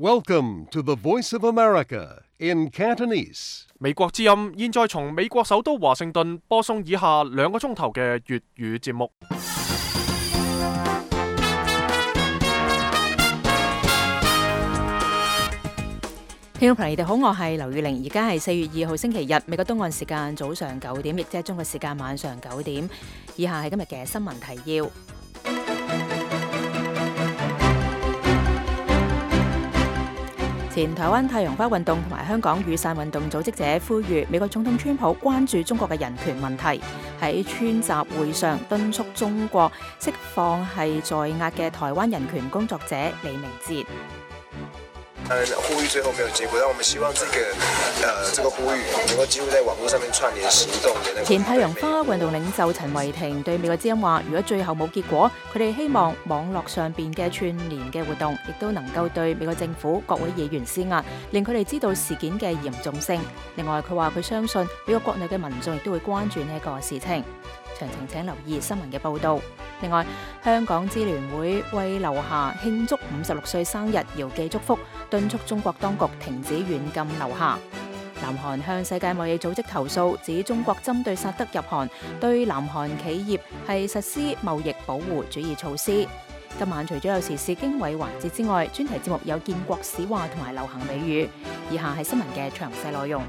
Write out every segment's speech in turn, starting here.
Welcome to the Voice of America in Cantonese. 美國之音現在從美國首都華盛頓播送以下2個鐘頭嘅粵語節目。聽眾朋友，你哋好，我係劉宇玲，而家係4月2號星期日，美國東岸時間早上9點，亦即係中國時間晚上9點。以下係今日嘅新聞提要。前台灣太陽花運動同埋香港雨傘運動組織者呼籲美國總統川普關注中國嘅人權問題，喺川習會上敦促中國釋放係在押嘅台灣人權工作者李明哲。呼籲最後沒有結果，但我們希望這個呼籲能夠幾乎在網絡上面串聯行動。前太陽花運動領袖陳維霆對美國之音話：如果最後冇結果，佢哋希望網絡上邊嘅串聯嘅活動，亦都能夠對美國政府各位議員施壓，令佢哋知道事件嘅嚴重性。另外，佢話佢相信美國國內嘅民眾亦都會關注呢一個事情。詳情請留意新聞嘅報導。另外，香港支聯會為劉霞慶祝56歲生日，遙寄祝福，敦促中國當局停止軟禁劉霞。南韓向世界貿易組織投訴，指中國針對薩德入韓，對南韓企業係實施貿易保護主義措施。今晚除咗有時事經緯環節之外，專題節目有建國史話同埋流行美語。以下係新聞嘅詳細內容。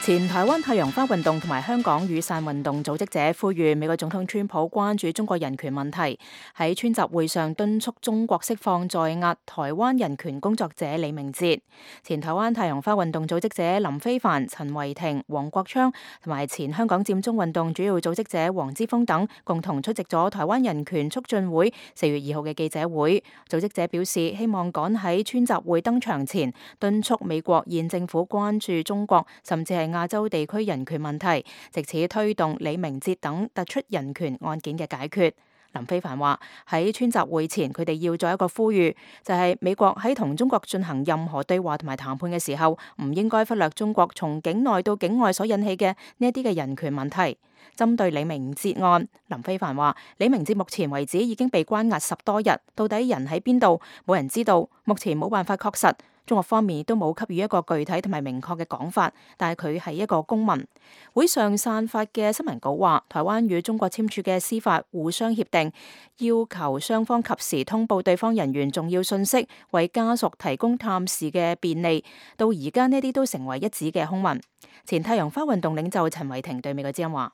前台灣太陽花運動同埋香港雨傘運動組織者呼籲美國總統川普關注中國人權問題，喺川習會上敦促中國釋放在押台灣人權工作者李明哲。前台灣太陽花運動組織者林飛帆、陳維霆、黃國昌同埋前香港佔中運動主要組織者黃之鋒等共同出席咗台灣人權促進會4月2號嘅記者會。組織者表示，希望趕喺川習會登場前敦促美國現政府關注中國，甚至係亞洲地區人權問題，藉此推動李明哲等突出人權案件嘅解決。林飛帆話：喺川習會前，佢哋要做一個呼籲，就係美國喺同中國進行任何對話同埋談判嘅時候，唔應該忽略中國從境內到境外所引起嘅呢一啲嘅人權問題。針對李明哲案，林飛帆話：李明哲目前為止已經被關押10多日，到底人喺邊度，冇人知道，目前冇辦法確實。中國方面都冇給予一個具體同埋明確嘅講法，但係佢係一個公民。會上散發嘅新聞稿話，台灣與中國簽署嘅司法互相協定，要求雙方及時通報對方人員重要信息，為家屬提供探視嘅便利。到而家呢啲都成為一紙嘅空文。前太陽花運動領袖陳維霆對美國之音話：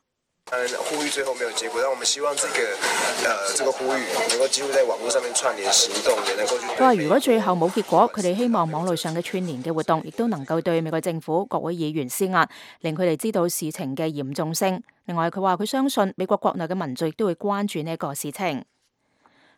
呼籲最後沒有結果，但我們希望這個呼籲能夠幾乎在網絡上面串聯行動，也能夠去。佢話：如果最後冇結果，佢哋希望網絡上嘅串聯嘅活動，亦都能夠對美國政府各位議員施壓，令佢哋知道事情嘅嚴重性。另外，佢話佢相信美國國內嘅民眾亦都會關注呢一個事情。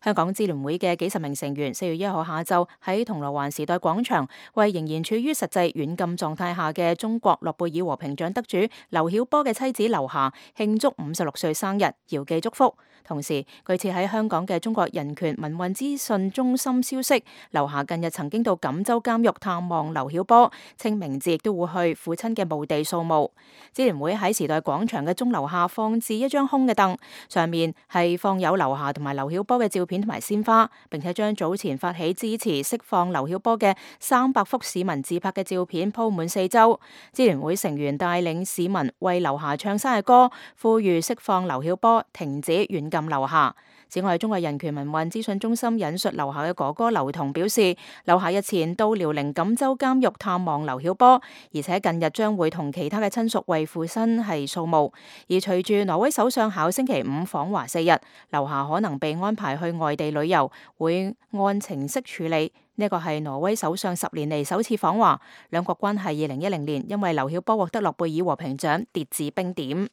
香港支聯會嘅幾十名成員4月1號下晝喺銅鑼灣時代廣場為仍然處於實際軟禁狀態下嘅中國諾貝爾和平獎得主劉曉波嘅妻子劉霞慶祝56歲生日，遙寄祝福。同時，據此喺香港嘅中國人權民運資訊中心消息，劉霞近日曾經到錦州監獄探望劉曉波，清明節亦都會去父親嘅墓地掃墓。支聯會喺時代廣場嘅鐘樓下放置一張空嘅凳，上面係放有劉霞同埋劉曉波嘅照片同埋鮮花，並且將早前發起支持釋放劉曉波嘅300幅市民自拍嘅照片鋪滿4周。支聯會成員帶領市民為劉霞唱生日歌，呼籲釋放劉曉波，停止軟禁劉霞。此外，中國人權民運資訊中心引述劉霞嘅哥哥劉同表示，劉霞日前到遼寧錦州監獄探望劉曉波，而且近日將會同其他嘅親屬為父親係掃墓。而隨住挪威首相考星期5訪華4日，劉霞可能被安排去外地旅遊，會按程式處理。呢個係挪威首相10年嚟首次訪華，兩國關係2010年因為劉曉波獲得諾貝爾和平獎跌至冰點。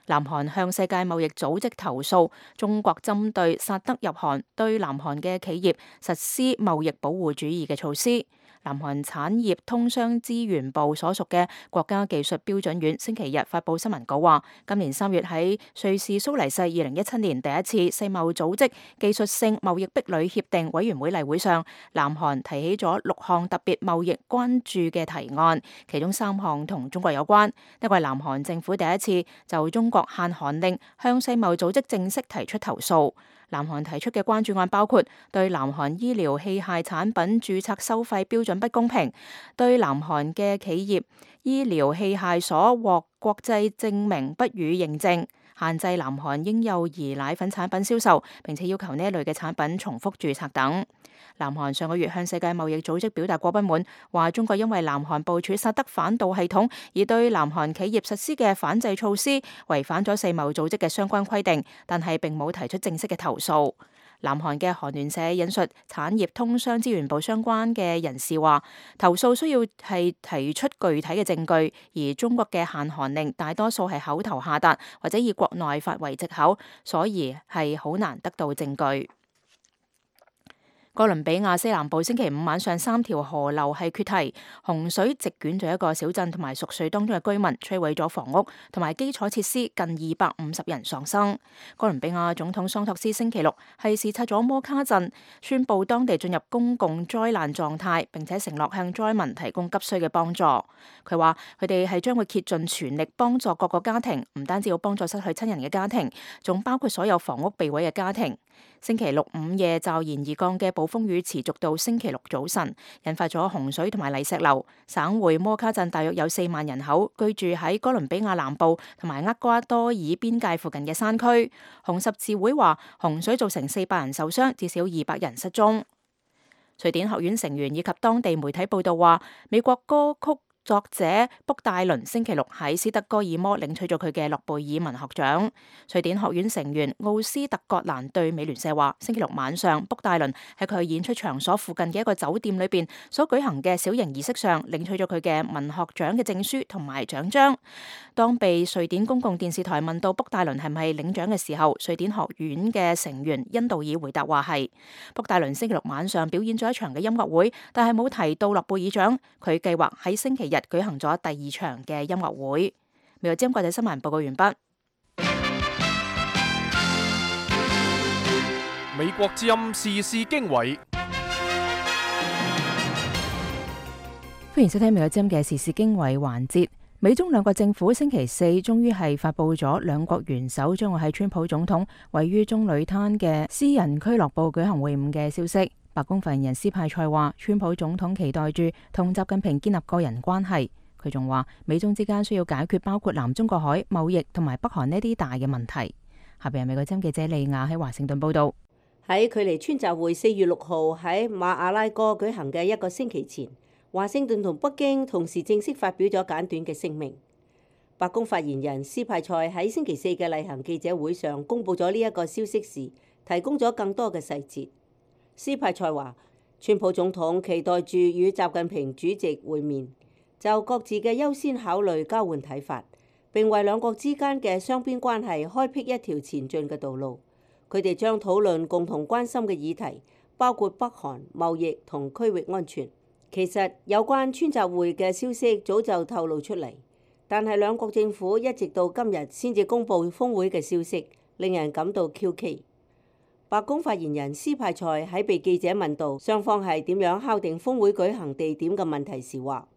南韓向世界貿易組織投訴，中國針對薩德入韓，對南韓嘅企業實施貿易保護主義嘅措施。南韓產業通商資源部所屬嘅國家技術標準院星期日發布新聞稿話，今年3月喺瑞士蘇黎世2017年第一次世貿組織技術性貿易壁壘協定委員會例會上，南韓提起咗6項特別貿易關注嘅提案，其中3項同中國有關。呢個係南韓政府第一次就中國限韓令向世貿組織正式提出投訴。南韓提出嘅關注案包括對南韓醫療器械產品註冊收費標準不公平，對南韓嘅企業醫療器械所獲國際證明不予認證，限制南韓嬰幼兒奶粉產品銷售，並且要求呢一類嘅產品重複註冊等。南韓上個月向世界貿易組織表達過不滿，話中國因為南韓部署薩德反導系統而對南韓企業實施嘅反制措施違反咗世貿組織嘅相關規定，但係並冇提出正式嘅投訴。南韓嘅韓聯社引述產業通商資源部相關嘅人士話，投訴需要係提出具體嘅證據，而中國嘅限韓令大多數係口頭下達或者以國內法為藉口，所以係好難得到證據。哥倫比亞西南部星期五晚上3條河流係決堤，洪水席捲咗一個小鎮同埋熟睡當中嘅居民，摧毀咗房屋同埋基礎設施，近250人喪生。哥倫比亞總統桑托斯星期六係視察咗摩卡鎮，宣布當地進入公共災難狀態，並且承諾向災民提供急需嘅幫助。佢話佢哋係將會竭盡全力幫助各個家庭，唔單止要幫助失去親人嘅家庭，仲包括所有房屋被毀嘅家庭。星期六午夜驟然而降嘅暴風雨持續到星期六早晨，引發咗洪水同埋泥石流。省會摩卡鎮大約有4萬人口，居住喺哥倫比亞南部同埋厄瓜多爾邊界附近嘅山區。紅十字會話洪水造成400人受傷，至少200人失蹤。瑞典學院成員以及當地媒體報道話，美國歌曲作者卜戴倫星期六喺斯德哥爾摩領取咗佢嘅諾貝爾文學獎。瑞典學院成員奧斯特葛蘭對美聯社話，星期六晚上卜戴倫喺佢演出場所附近嘅一個酒店裏邊所舉行嘅小型儀式上領取咗佢嘅文學獎嘅證書同埋獎章。當被瑞典公共電視台問到卜戴倫係唔係領獎嘅時候，瑞典學院嘅成員恩道爾回答話係。卜戴倫星期六晚上表演咗一場嘅音樂會，但係冇提到諾貝爾獎。佢計劃喺星期日舉行咗第2場嘅音樂會。美國之音國際新聞報告完畢。美國之音時事經緯，歡迎收聽美國之音嘅時事經緯環節。美中兩國政府星期四終於係發佈咗兩國元首將會喺川普總統位於棕櫚灘嘅私人俱樂部舉行會晤嘅消息。白宮發言人斯派塞話，川普總統期待住同習近平建立個人關係。佢仲話，美中之間需要解決包括南中國海、貿易同埋北韓呢啲大嘅問題。下邊係美國之音記者利亞喺華盛頓報道。喺距離川習會4月6號喺馬阿拉哥舉行嘅1個星期前，華盛頓同北京同時正式發表咗簡短嘅聲明。白宮發言人斯派塞喺星期四嘅例行記者會上公布咗呢一個消息時，提供咗更多嘅細節。斯派塞話，川普總統期待住與習近平主席會面，就各自嘅優先考慮交換睇法，並為兩國之間嘅雙邊關係開闢一條前進嘅道路。佢哋將討論共同關心嘅議題，包括北韓、貿易同區域安全。其實有關川習會嘅消息早就透露出嚟，但係兩國政府一直到今日先至公佈峰會嘅消息，令人感到蹊蹺。白宮發言人斯派塞喺被記者問到雙方係點樣敲定峰會舉行地點嘅問題時話，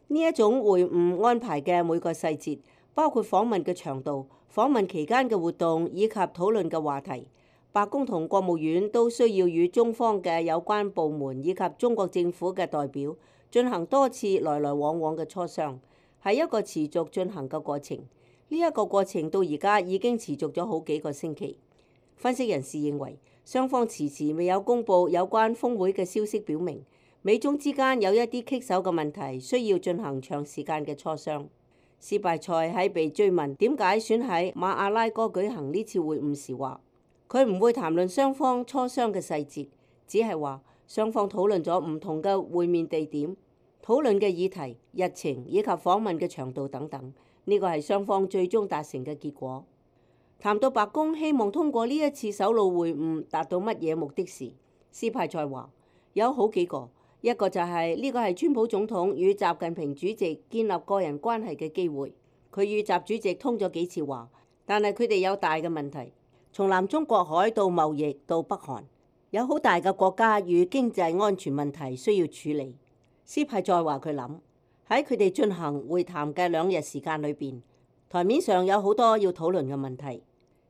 呢一種會晤安排嘅每個細節，包括訪問嘅長度、訪問期間嘅活動以及討論嘅話題，白宮同國務院都需要與中方嘅有關部門以及中國政府嘅代表進行多次來來往往嘅磋商，係一個持續進行嘅過程。呢一個過程到而家已經持續咗好幾個星期。分析人士認為，雙方遲遲未有公佈有關峰會嘅消息，表明美中之間有一啲棘手嘅問題需要進行長時間嘅磋商。斯派塞喺被追問點解選喺馬阿拉哥舉行呢次會晤時話，佢唔會談論雙方磋商嘅細節，只係話雙方討論咗唔同嘅會面地點、討論嘅議題、日程以及訪問嘅長度等等。呢個係雙方最終達成嘅結果。談到白宮希望通過呢一次首腦會晤達到乜嘢目的時，斯派塞話有好幾個，一個就係呢個係川普總統與習近平主席建立個人關係嘅機會。佢與習主席通咗幾次話，但係佢哋有大嘅問題，從南中國海到貿易到北韓，有好大嘅國家與經濟安全問題需要處理。斯派再話佢諗喺佢哋進行會談嘅2日時間裏邊，台面上有好多要討論嘅問題。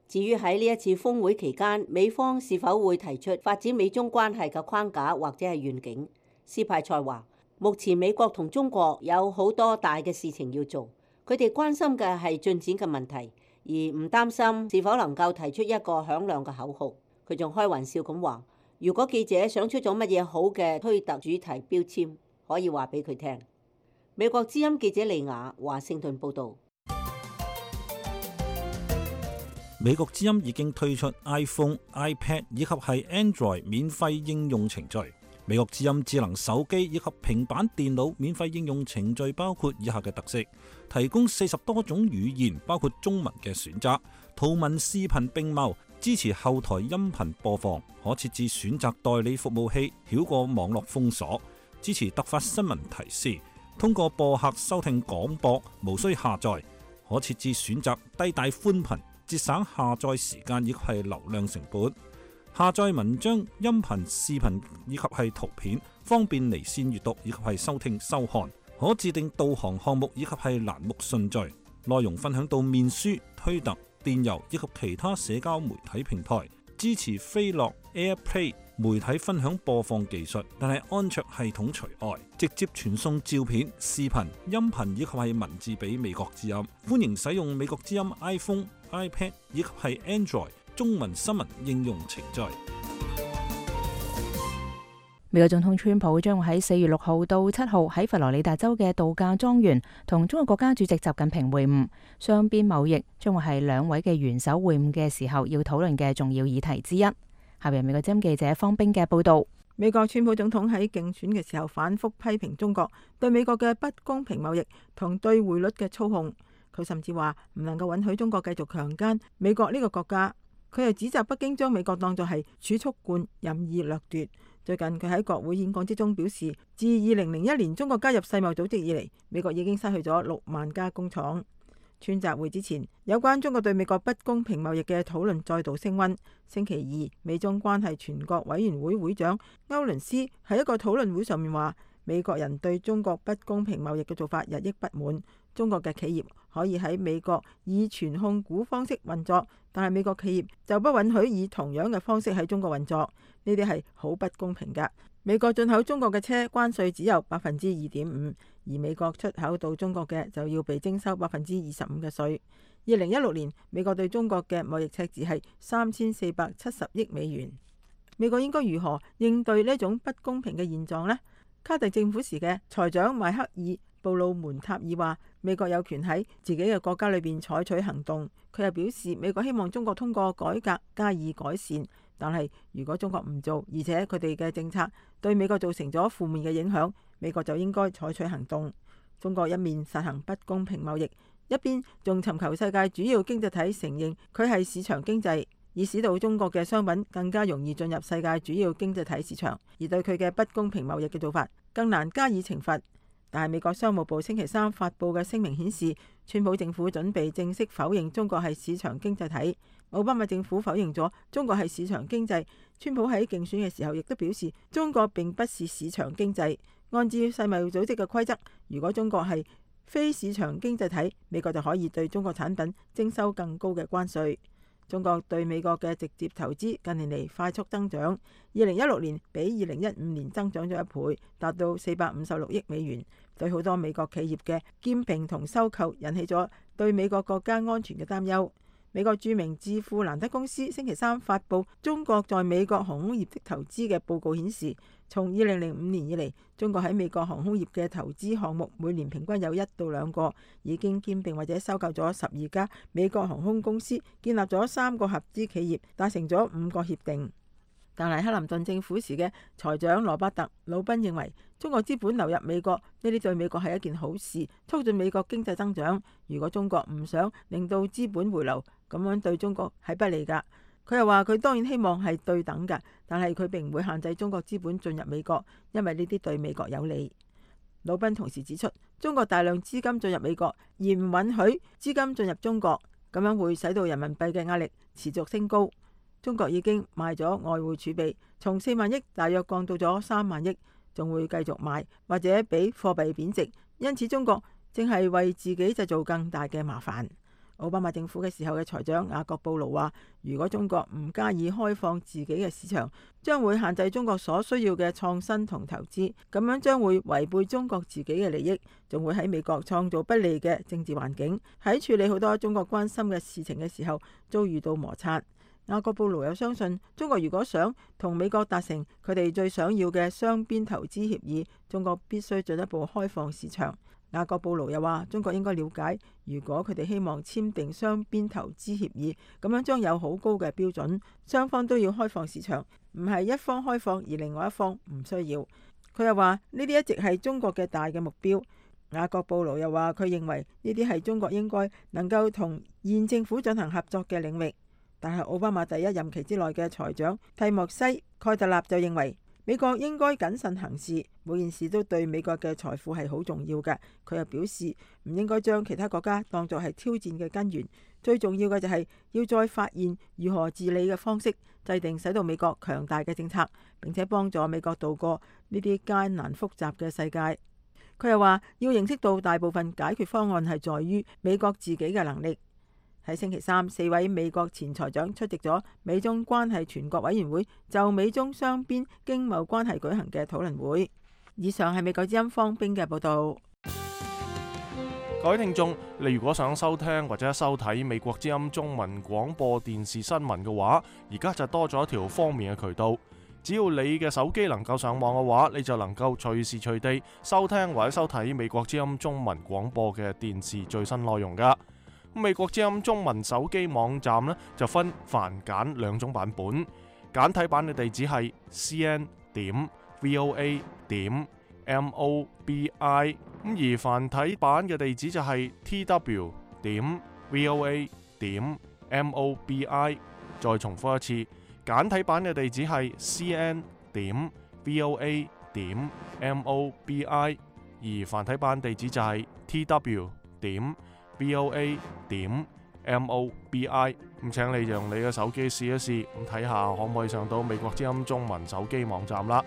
至於喺呢一次峰會期間，美方是否會提出發展美中關係嘅框架或者係願景？斯派塞話：目前美國同中國有好多大嘅事情要做，佢哋關心嘅係進展嘅問題，而唔擔心是否能夠提出一個響亮嘅口號。佢仲開玩笑咁話：如果記者想出咗乜嘢好嘅推特主題標籤，可以話俾佢聽。美國之音記者利亞華盛頓報導。美國之音已經推出 iPhone、iPad 以及係 Android 免費應用程序。美國之音智能手機以及平板電腦免費應用程序包括以下嘅特色：提供40多種語言，包括中文嘅選擇，圖文視頻並茂，支持後台音頻播放，可設置選擇代理服務器，繞過網絡封鎖，支持突發新聞提示，通過播客收聽廣播，無需下載，可設置選擇低帶寬頻，節省下載時間以及係流量成本。下載文章、音頻、視頻以及係圖片，方便離線閱讀以及係收聽收看。可自定導航項目以及係欄目順序。內容分享到面書、推特、電郵以及其他社交媒體平台。支持飛樂 AirPlay 媒體分享播放技術，但係安卓系統除外。直接傳送照片、視頻、音頻以及係文字俾美國之音。歡迎使用美國之音 iPhone、iPad 以及係 Android中文新聞應用程序。美國總統川普將會喺4月6號到7號喺佛羅里達州嘅度假莊園同中國國家主席習近平會晤，雙邊貿易將會係兩位嘅元首會晤嘅時候要討論嘅重要議題之一。下邊美國之音記者方冰嘅報道。美國川普總統喺競選嘅時候反覆批評中國對美國嘅不公平貿易同對匯率嘅操控，佢甚至話唔能夠允許中國繼續強姦美國呢個國家。佢又指責北京將美國當作係儲蓄罐，任意掠奪。最近佢喺國會演講之中表示，自2001年中國加入世貿組織以嚟，美國已經失去咗6萬家工廠。川習會之前，有關中國對美國不公平貿易嘅討論再度升溫。星期二，美中關係全國委員會會長歐倫斯喺一個討論會上面話，美國人對中國不公平貿易嘅做法日益不滿。中國嘅企業可以喺美國以全控股方式運作，但係美國企業就不允許以同樣嘅方式喺中國運作，呢啲係好不公平㗎。美國進口中國嘅車關稅只有2.5%，而美國出口到中國嘅就要被徵收25%嘅稅。2016年，美國對中國嘅貿易赤字係3470億美元。美國應該如何應對呢種不公平嘅現狀呢？卡特政府時嘅財長邁克爾布魯門塔爾話，美國有權喺自己嘅國家裏邊採取行動。佢又表示，美國希望中國通過改革加以改善，但係如果中國唔做，而且佢哋嘅政策對美國造成咗負面嘅影響，美國就應該採取行動。中國一面實行不公平貿易，一邊仲尋求世界主要經濟體承認佢係市場經濟，以使到中國嘅商品更加容易進入世界主要經濟體市場，而對佢嘅不公平貿易嘅做法更難加以懲罰。但係美國商務部星期三發布嘅聲明顯示，川普政府準備正式否認中國係市場經濟體。奧巴馬政府否認咗中國係市場經濟。川普喺競選嘅時候亦都表示，中國並不是市場經濟。按照世貿組織嘅規則，如果中國係非市場經濟體，美國就可以對中國產品徵收更高嘅關稅。中國對美國嘅直接投資近年嚟快速增長，2016年比2015年增長咗1倍，達到456億美元。對好多美國企業嘅兼併同收購引起咗對美國國家安全嘅擔憂。美國著名智庫蘭德公司星期三發布中國在美國航空業的投資嘅報告顯示，從2005年以嚟，中國喺美國航空業嘅投資項目每年平均有1到2個，已經兼併或者收購咗12家美國航空公司，建立咗3個合資企業，達成咗5個協定。但係克林頓政府時嘅財長羅伯特·魯賓認為，中國資本流入美國呢啲對美國係一件好事，促進美國經濟增長。如果中國唔想令到資本回流，咁樣對中國係不利㗎。佢又話佢當然希望係對等嘅，但係佢並唔會限制中國資本進入美國，因為呢啲對美國有利。魯賓同時指出，中國大量資金進入美國，而唔允許資金進入中國，咁樣會使到人民幣嘅壓力持續升高。中國已經賣咗外匯儲備，從4萬億大約降到咗3萬億，仲會繼續賣，或者俾貨幣貶值。因此中國正係為自己製造更大嘅麻煩。奧巴馬政府嘅時候嘅財長雅各布勞話，如果中國唔加以開放自己嘅市場，將會限制中國所需要嘅創新同投資，咁樣將會違背中國自己嘅利益，仲會喺美國創造不利嘅政治環境，喺處理好多中國關心嘅事情嘅時候遭遇到摩擦。雅各布勞又相信，中國如果想同美國達成佢哋最想要嘅雙邊投資協議，中國必須進一步開放市場。雅各布勞又話，中國應該了解，如果佢哋希望簽訂雙邊投資協議，咁樣將有好高嘅標準，雙方都要開放市場，唔係一方開放而另外一方唔需要。佢又話呢啲一直係中國嘅大嘅目標。雅各布勞又話，佢認為呢啲係中國應該能夠同現政府進行合作嘅領域。但係奧巴馬第一任期之內嘅財長蒂莫西蓋特納就認為，美國應該謹慎行事，每件事都對美國嘅財富係好重要嘅。佢又表示唔應該將其他國家當作係挑戰嘅根源，最重要嘅就係要再發現如何治理嘅方式，制定使到美國強大嘅政策，並且幫助美國度過呢啲艱難複雜嘅世界。佢又話要認識到大部分解決方案係在於美國自己嘅能力。喺星期三，4位美國前財長出席咗美中關係全國委員會就美中雙邊經貿關係舉行嘅討論會。以上係美國之音方冰嘅報道。各位聽眾，你如果想收聽或者收睇美國之音中文廣播電視新聞嘅話，而家就多咗一條方便嘅渠道。只要你嘅手機能夠上網嘅話，你就能夠隨時隨地收聽或者收睇美國之音中文廣播嘅電視最新內容噶。美國之音中文手機網站呢，就分繁簡2種版本，簡體版嘅地址係 cn.voa.mobi， 而繁體版嘅地址就係 tw.voa.mobi。 再重複一次，簡體版嘅地址係 cn.voa.mobi， 而繁體版地址就係 tw.voa.mobi。 咁請你用你嘅手機試一試，咁睇下可唔可以上到美國之音中文手機網站啦。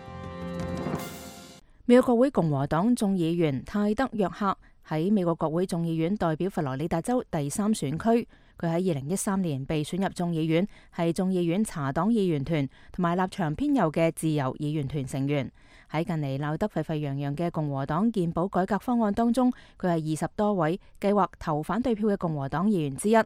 美國國會共和黨眾議員泰德約克喺美國國會眾議院代表佛羅里達州第3選區，佢喺2013年被選入眾議院，係眾議院茶黨議員團同埋立場偏右嘅自由議員團成員。喺近嚟鬧得沸沸揚揚嘅共和黨健保改革方案當中，佢係20多位計劃投反對票嘅共和黨議員之一。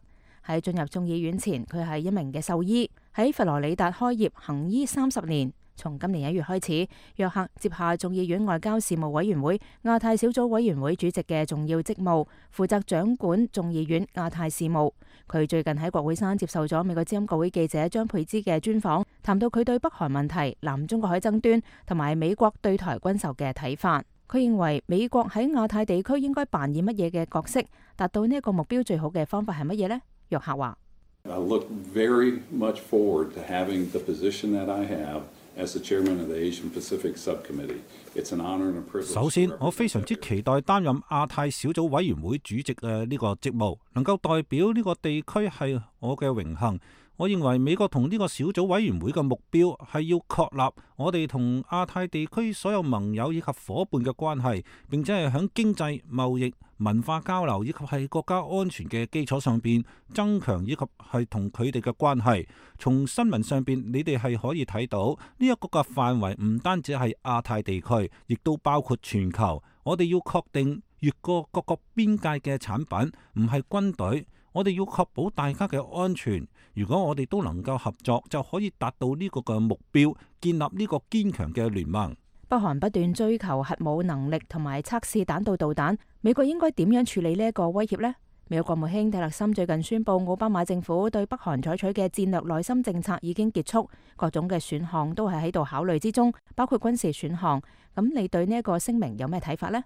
喺進入眾議院前，佢係一名嘅獸醫，喺佛羅里達開業行醫30年。從今年1月開始，約克接下眾議院外交事務委員會亞太小組委員會主席嘅重要職務，負責掌管眾議院亞太事務。佢最近喺國會山接受咗美國之音國會記者張佩芝嘅專訪，談到佢對北韓問題、南中國海爭端同埋美國對台軍售嘅睇法。佢認為美國喺亞太地區應該扮演乜嘢嘅角色，達到呢一個目標最好嘅方法係乜嘢呢？約克話I look very much forward to having the position that I have as the chairman of the Asian Pacific Subcommittee. It's an honor and a privilege. 首先，我非常之期待擔任亞太小組委員會主席嘅呢個職務，能夠代表呢個地區係我嘅榮幸。我認為美國同呢個小組委員會嘅目標係要確立我哋同亞太地區所有盟友以及伙伴嘅關係，並且係響經濟、貿易、文化交流以及係國家安全嘅基礎上邊增強以及係同佢哋嘅關係。從新聞上邊，你哋係可以睇到呢一個嘅範圍唔單止係亞太地區，亦都包括全球。我哋要確定越過各個邊界嘅產品唔係軍隊。我哋要確保大家嘅安全。如果我哋都能夠合作，就可以達到呢個嘅目標，建立呢個堅強嘅聯盟。北韓不斷追求核武能力同埋測試彈道導彈，美國應該點樣處理呢一個威脅呢？美國國務卿蒂勒森最近宣布，奧巴馬政府對北韓採取嘅戰略內心政策已經結束，各種嘅選項都係喺度考慮之中，包括軍事選項。咁你對呢一個聲明有咩睇法呢？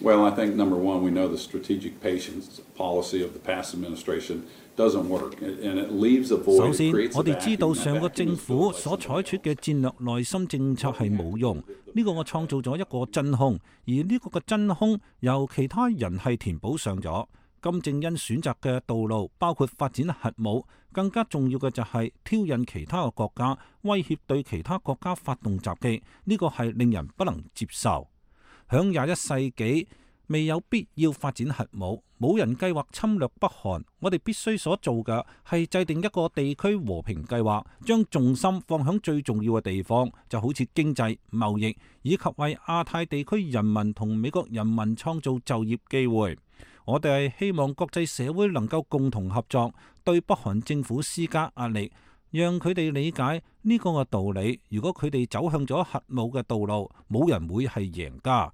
Well, I think number one, we know the strategic patience policy of the past administration doesn't work, and it leaves a void. 首先，我哋知道上個政府所採取嘅戰略內心政策係冇用，呢個我創造咗一個真空，而呢個嘅真空由其他人係填補上咗。金正恩選擇嘅道路包括發展核武，更加重要嘅就係挑釁其他嘅國家，威脅對其他國家發動襲擊，呢個係令人不能接受。響21世紀未有必要發展核武，冇人計劃侵略北韓，我哋必須所做嘅係制定一個地區和平計劃，將重心放響最重要嘅地方，就好似經濟、貿易，以及為亞太地區人民同美國人民創造就業機會。我哋係希望國際社會能夠共同合作，對北韓政府施加壓力，讓佢哋理解呢個嘅道理。如果佢哋走向咗核武嘅道路，冇人會係贏家。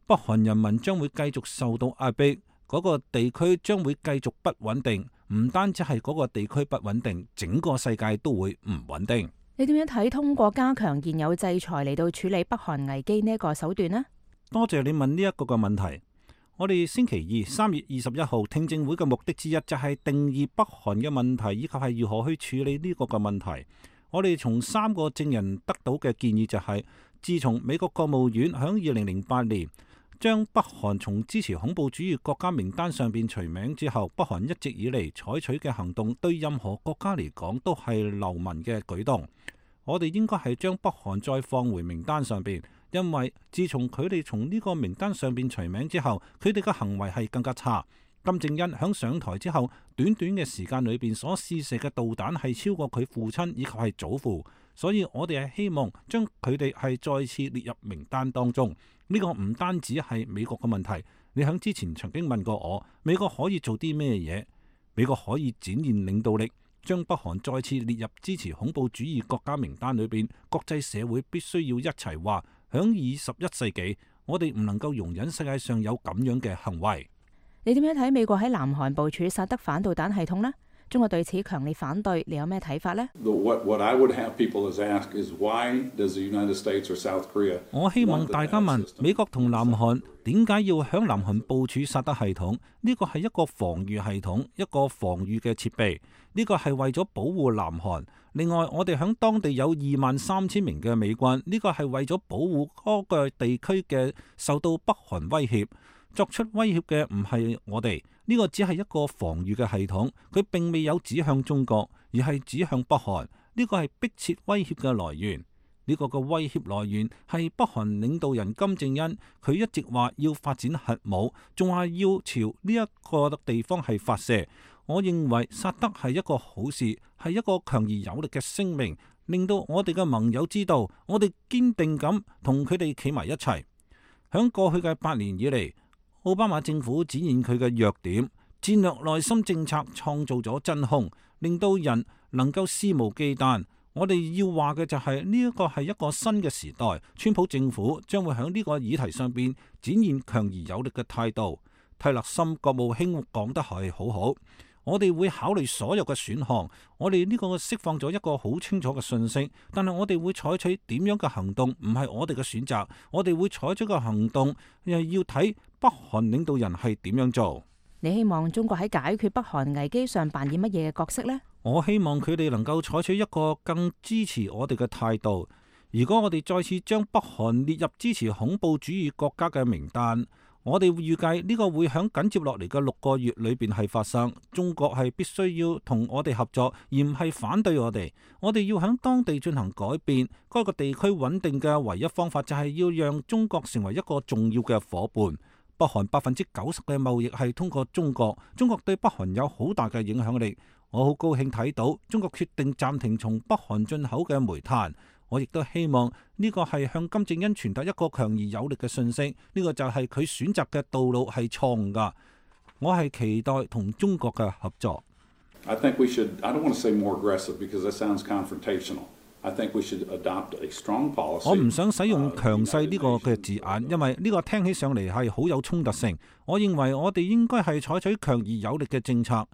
北韓人民將會繼續受到壓迫，嗰個地區將會繼續不穩定。唔單止係嗰個地區不穩定，整個世界都會唔穩定。你點樣睇通過加強現有制裁嚟到處理北韓危機呢一個手段呢？多謝你問呢一個嘅問題。我哋星期二3月21號聽證會嘅目的之一就係定義北韓嘅問題，以及係如何去處理呢個嘅問題。我哋從3個證人得到嘅建議就係，自從美國國務院響2008年將北韓從支持恐怖主義國家名單上邊除名之後，北韓一直以嚟採取嘅行動對任何國家嚟講都係流氓嘅舉動。我哋應該係將北韓再放回名單上邊，因為自從佢哋從呢個名單上邊除名之後，佢哋嘅行為係更加差。金正恩響上台之後，短短嘅時間裏邊所試射嘅導彈係超過佢父親以及係祖父，所以我哋係希望將佢哋係再次列入名單當中。呢個唔單止係美國嘅問題，你響之前曾經問過我，美國可以做啲咩嘢？美國可以展現領導力，將北韓再次列入支持恐怖主義國家名單裏邊。國際社會必須要一齊話，響21世紀，我哋唔能夠容忍世界上有咁樣嘅行為。你點樣睇美國喺南韓部署薩德反導彈系統呢？中國對此強烈反對，你有咩睇法呢？我希望大家問美國同南韓點解要響南韓部署薩德系統？呢個係一個防禦系統，一個防禦嘅設備。呢個係為咗保護南韓。另外，我哋響當地有23,000名嘅美軍，呢個係為咗保護嗰個地區嘅受到北韓威脅。作出威脅嘅唔係我哋，呢個只係一個防禦嘅系統，佢並未有指向中國，而係指向北韓。呢個係迫切威脅嘅來源。呢個嘅威脅來源係北韓領導人金正恩，佢一直話要發展核武，仲話要朝呢一個地方係發射。我認為薩德係一個好事，係一個強而有力嘅聲明，令到我哋嘅盟友知道，我哋堅定咁同佢哋企埋一齊。響過去嘅8年以嚟，奧巴馬政府展現佢嘅弱點，戰略內心政策創造咗真空，令到人能夠肆無忌憚。我哋要話嘅就係呢一個係一個新嘅時代，川普政府將會喺呢個議題上邊展現強而有力嘅態度。蒂勒森國務卿講得係好好，我哋會考慮所有嘅選項，我哋呢個釋放咗一個好清楚嘅信息，但係我哋會採取點樣嘅行動，唔係我哋嘅選擇，我哋會採取嘅行動又要睇北韓領導人係點樣做。你希望中國喺解決北韓危機上扮演乜嘢嘅角色呢？我希望佢哋能夠採取一個更支持我哋嘅態度。如果我哋再次將北韓列入支持恐怖主義國家嘅名單，我哋預計呢個會響緊接落嚟嘅6個月裏邊係發生。中國係必須要同我哋合作，而唔係反對我哋。我哋要響當地進行改變。該個地區穩定嘅唯一方法就係要讓中國成為一個重要嘅夥伴。北韓90%嘅貿易係通過中國，中國對北韓有好大嘅影響力。我好高興睇到中國決定暫停從北韓進口嘅煤炭。我亦都希望呢個係向金正恩傳達一個強而有力嘅信息。呢個就係佢選擇嘅道路係錯誤㗎。我係期待同中國嘅合作。I think we should, I don't want to say more aggressive because that sounds confrontational. I think we should adopt a strong policy. 我唔想使用強勢呢個嘅字眼，因為呢個聽起上嚟係好有衝突性。我認為我哋應該係採取強而有力嘅政策。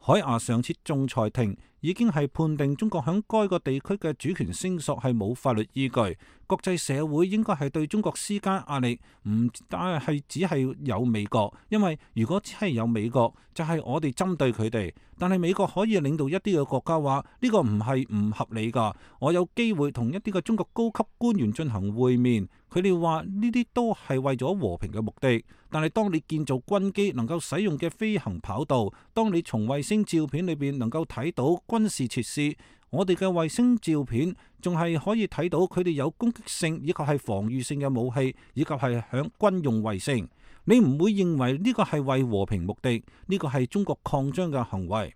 海牙上次仲裁庭已經係判定中國響該個地區嘅主權聲索係冇法律依據。國際社會應該係對中國施加壓力，唔但係只係有美國，因為如果只係有美國，就係我哋針對佢哋。但係美國可以領導一啲嘅國家話呢個唔係唔合理㗎。我有機會同一啲嘅中國高級官員進行會面，佢哋話呢啲都係為咗和平嘅目的。但係當你建造軍機能夠使用嘅飛行跑道，當你從衛星照片裏邊能夠睇到軍事設施，我哋嘅衛星照片仲係可以睇到佢哋有攻擊性以及係防禦性嘅武器，以及係響軍用衛星。你唔會認為呢個係為和平目的，呢個係中國擴張嘅行為。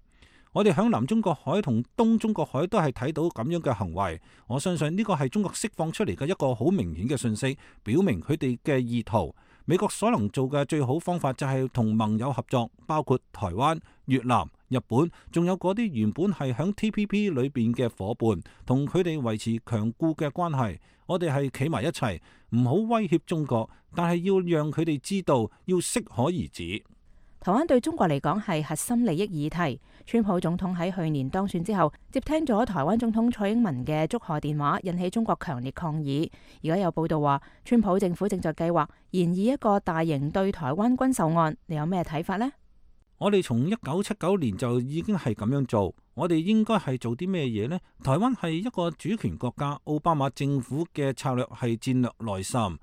我哋響南中國海同東中國海都係睇到咁樣嘅行為。我相信呢個係中國釋放出嚟嘅一個好明顯嘅信息，表明佢哋嘅意圖。美國所能做嘅最好方法就係同盟友合作，包括台灣、越南、日本，仲有嗰啲原本係響 TPP 裏邊嘅伙伴，同佢哋維持強固嘅關係。我哋係企埋一齊，唔好威脅中國，但係要讓佢哋知道要適可而止。台灣對中國嚟講係核心利益議題。川普總統喺去年當選之後，接聽咗台灣總統蔡英文嘅祝賀電話，引起中國強烈抗議。而家有報道話，川普政府正在計劃研議一個大型對台灣軍售案。你有咩睇法呢？我哋從1979年就已經係咁樣做。我哋應該係做啲咩嘢呢？台灣係一個主權國家，奧巴馬政府嘅策略係戰略內滲，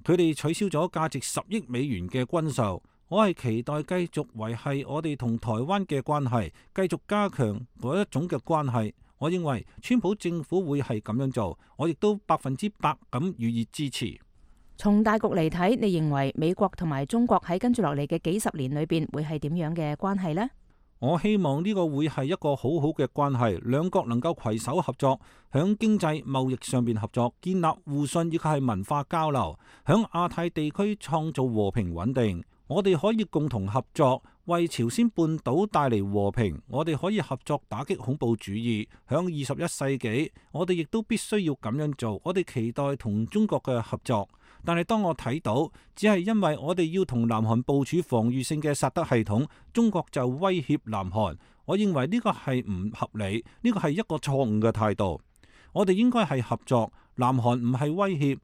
佢哋取消咗價值10億美元嘅軍售。我係期待繼續維繫我哋同台灣嘅關係，繼續加強嗰一種嘅關係。我認為川普政府會係咁樣做，我亦都100%咁予以支持。從大局嚟睇，你認為美國同埋中國喺跟住落嚟嘅幾十年裏邊會係點樣嘅關係呢？我希望呢個會係一個好好嘅關係，兩國能夠攜手合作，響經濟貿易上邊合作，建立互信以及係文化交流，響亞太地區創造和平穩定。我哋可以共同合作，為朝鮮半島帶嚟和平。我哋可以合作打擊恐怖主義。響21世紀，我哋亦都必須要咁樣做。我哋期待同中國嘅合作，但係當我睇到，只係因為我哋要同南韓部署防禦性嘅薩德系統，中國就威脅南韓。我認為呢個係唔合理，呢個係一個錯誤嘅態度。我哋應該係合作，南韓唔係威脅。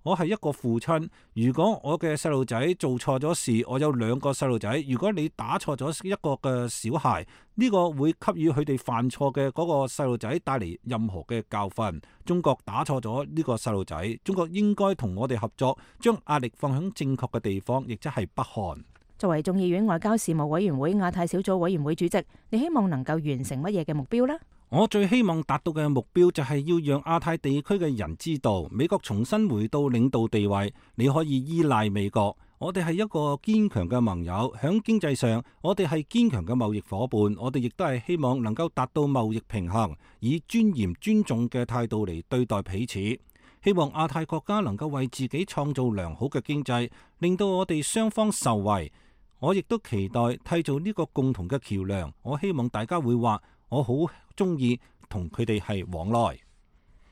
我係一個父親，如果我嘅細路仔做錯咗事，我有2個細路仔。如果你打錯咗一個嘅小孩，呢個會給予佢哋犯錯嘅嗰個細路仔帶嚟任何嘅教訓。中國打錯咗呢個細路仔，中國應該同我哋合作，將壓力放喺正確嘅地方，亦即係北韓。作為眾議院外交事務委員會亞太小組委員會主席，你希望能夠完成乜嘢嘅目標呢？我最希望達到嘅目標就係要讓亞太地區嘅人知道，美國重新回到領導地位，你可以依賴美國。我哋係一個堅強嘅盟友，響經濟上，我哋係堅強嘅貿易夥伴，我哋亦都係希望能夠達到貿易平衡，以尊嚴尊重嘅態度嚟對待彼此。希望亞太國家能夠為自己創造良好嘅經濟，令到我哋雙方受惠。我亦都期待締造呢個共同嘅橋梁。我希望大家會話，我好中意同佢哋係往來。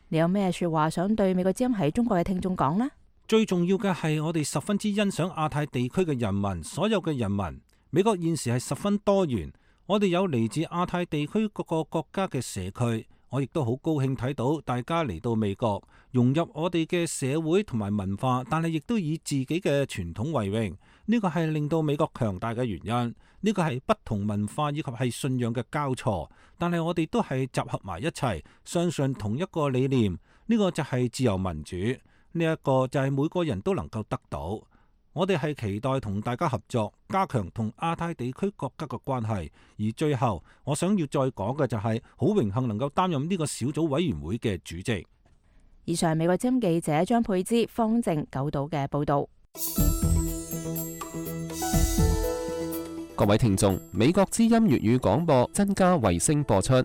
你有咩說話想對美國之音喺中國嘅聽眾講呢？最重要嘅係我哋十分之欣賞亞太地區嘅人民，所有嘅人民。美國現時係十分多元，我哋有嚟自亞太地區各個國家嘅社區。我亦都好高興睇到大家嚟到美國，融入我哋嘅社會同埋文化，但係亦都以自己嘅傳統為榮。呢個係令到美國強大嘅原因。呢個係不同文化以及係信仰嘅交錯，但係我哋都係集合埋一齊，相信同一個理念。呢個就係自由民主，呢一個就係每個人都能夠得到。我哋係期待同大家合作，加強同亞太地區國家嘅關係。而最後，我想要再講嘅就係好榮幸能夠擔任呢個小組委員會嘅主席。以上美國之音記者張佩芝、方正九島嘅報道。各位聽眾，美國之音粵語廣播增加衛星播出，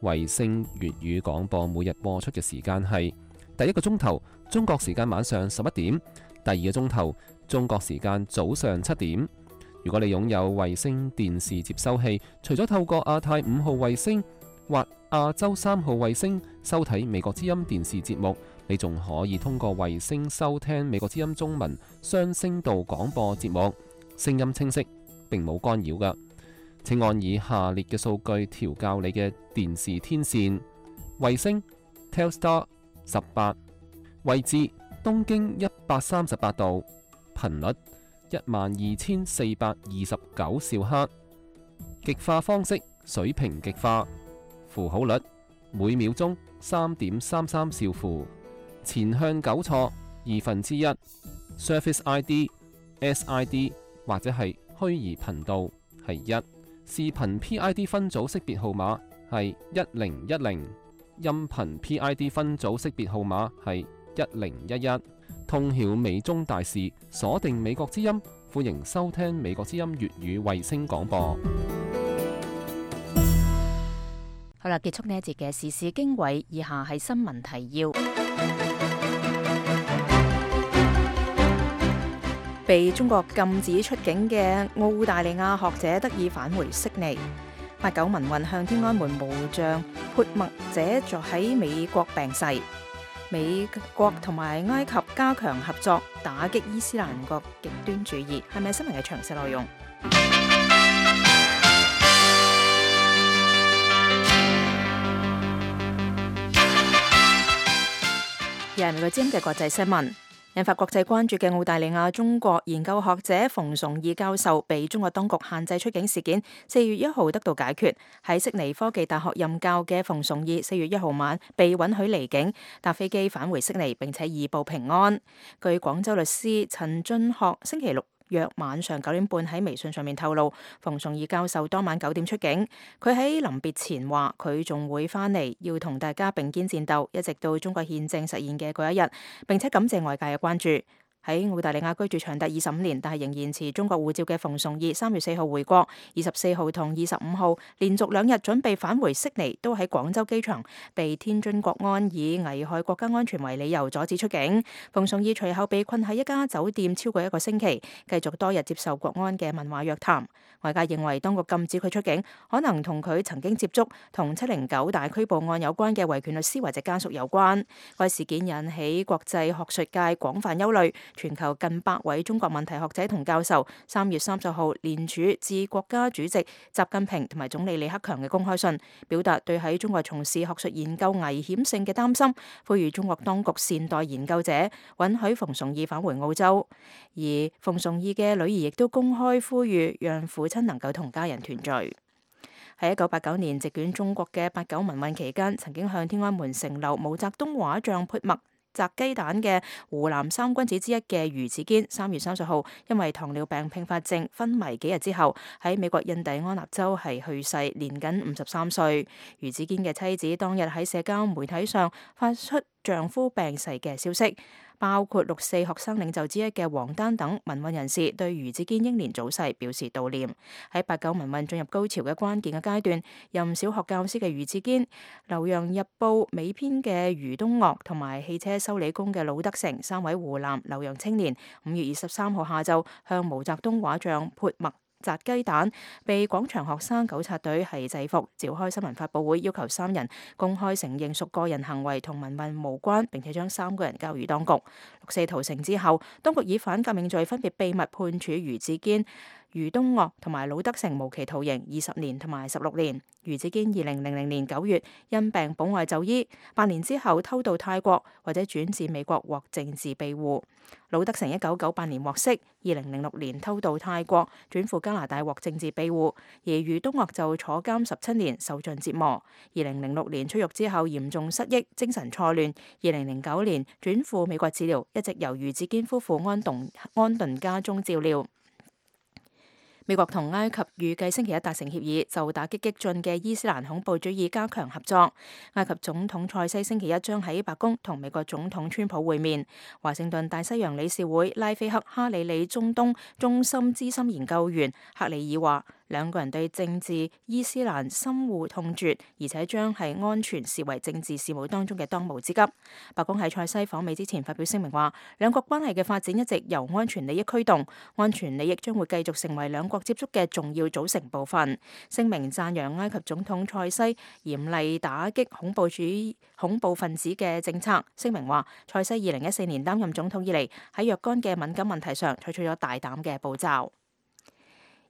衛星粵語廣播每日播出嘅時間係第一個鐘頭中國時間晚上11點，第二個鐘頭中國時間早上7點。如果你擁有衛星電視接收器，除咗透過亞太5號衛星或亞洲3號衛星收睇美國之音電視節目，你仲可以通過衛星收聽美國之音中文雙聲道廣播節目，聲音清晰，並冇干擾㗎。請按以下列嘅數據調校你嘅電視天線：衛星 Telstar 18，位置東經138度，頻率12429兆赫，極化方式水平極化，符號率每秒鐘3.33兆符，前向糾錯1/2， Service ID、SID 或者係虛擬頻道係1，視頻 PID 分組識別號碼係1010，音頻 PID 分組識別號碼係1011。通曉美中大事，鎖定美國之音，歡迎收聽美國之音粵語衛星廣播。好啦，結束呢一節嘅時事經緯，以下係新聞提要。被中國禁止出境嘅澳大利亞學者得以返回悉尼。89民運向天安門無像潑墨者在喺美國病逝。美國同埋埃及加強合作，打擊伊斯蘭國極端主義。係咪新聞嘅詳細內容？又係美國之音嘅國際新聞。引發國際關注嘅澳大利亞中國研究學者馮崇義教授被中國當局限制出境事件，4月1號得到解決。喺悉尼科技大學任教嘅馮崇義4月1號晚被允許離境，搭飛機返回悉尼，並且移步平安。據廣州律師陳俊學星期六約晚上9點半喺微信上面透露，馮崇義教授當晚9點出境。佢喺臨別前話，佢仲會返嚟，要同大家並肩戰鬥，一直到中國憲政實現嘅嗰一日。並且感謝外界嘅關注。喺澳大利亞居住長達25年，但係仍然持中國護照嘅馮崇義3月4號回國，24號同25號連續2日準備返回悉尼，都喺廣州機場被天津國安以危害國家安全為理由阻止出境。馮崇義隨後被困喺一家酒店超過1個星期，繼續多日接受國安嘅問話約談。外界認為當局禁止佢出境，可能同佢曾經接觸同709大拘捕案有關嘅維權律師或者家屬有關。該事件引起國際學術界廣泛憂慮。全球近100位中國問題學者同教授3月30號聯署致國家主席習近平同埋總理李克強嘅公開信，表達對喺中國從事學術研究危險性嘅擔心，呼籲中國當局善待研究者，允許馮崇義返回澳洲。而馮崇義嘅女兒亦都公開呼籲，讓父親能夠同家人團聚。喺1989年席捲中國嘅89民運期間，曾經向天安門城樓毛澤東畫像潑墨砸雞蛋嘅湖南3君子之一嘅余子堅，3月30號因為糖尿病併發症昏迷幾日之後，喺美國印第安納州係去世，年僅53歲。余子堅嘅妻子當日喺社交媒體上發出丈夫病逝嘅消息。包括6四學生領袖之一嘅王丹等民運人士對余子堅英年早逝表示悼念。喺89民運進入高潮嘅關鍵嘅階段，任小學教師嘅余子堅、留洋日報美編嘅余東岳同埋汽車修理工嘅魯德成3位湖南留洋青年，5月23號下晝向毛澤東畫像潑墨砸雞蛋，被廣場學生糾察隊係制服，召開新聞發佈會，要求3人公開承認屬個人行為同民運無關，並且將3個人交予當局。6四屠城之後，當局以反革命罪分別秘密判處余子堅、余東岳同埋魯德成無期徒刑20年同埋16年。余子堅2000年9月因病保外就醫，8年之後偷渡泰國或者轉至美國獲政治庇護。魯德成1998年獲釋，2006年偷渡泰國轉赴加拿大獲政治庇護，而余東岳就坐監17年，受盡折磨。2006年出獄之後嚴重失憶、精神錯亂，2009年轉赴美國治療，一直由余子堅夫婦安頓家中照料。美國同埃及預計星期一達成協議，就打擊激進嘅伊斯蘭恐怖主義加強合作。埃及總統塞西星期一將喺白宮同美國總統川普會面。華盛頓大西洋理事會拉菲克哈里里中東中心資深研究員克里爾話，兩個人對政治伊斯蘭深惡痛絕，而且將係安全視為政治事務當中嘅當務之急。白宮喺塞西訪美之前發表聲明話，兩國關係嘅發展一直由安全利益驅動，安全利益將會繼續成為兩國接觸嘅重要組成部分。聲明讚揚埃及總統塞西嚴厲打擊恐怖分子嘅政策。聲明話，塞西2014年擔任總統以嚟，喺若干嘅敏感問題上採取咗大膽嘅步驟。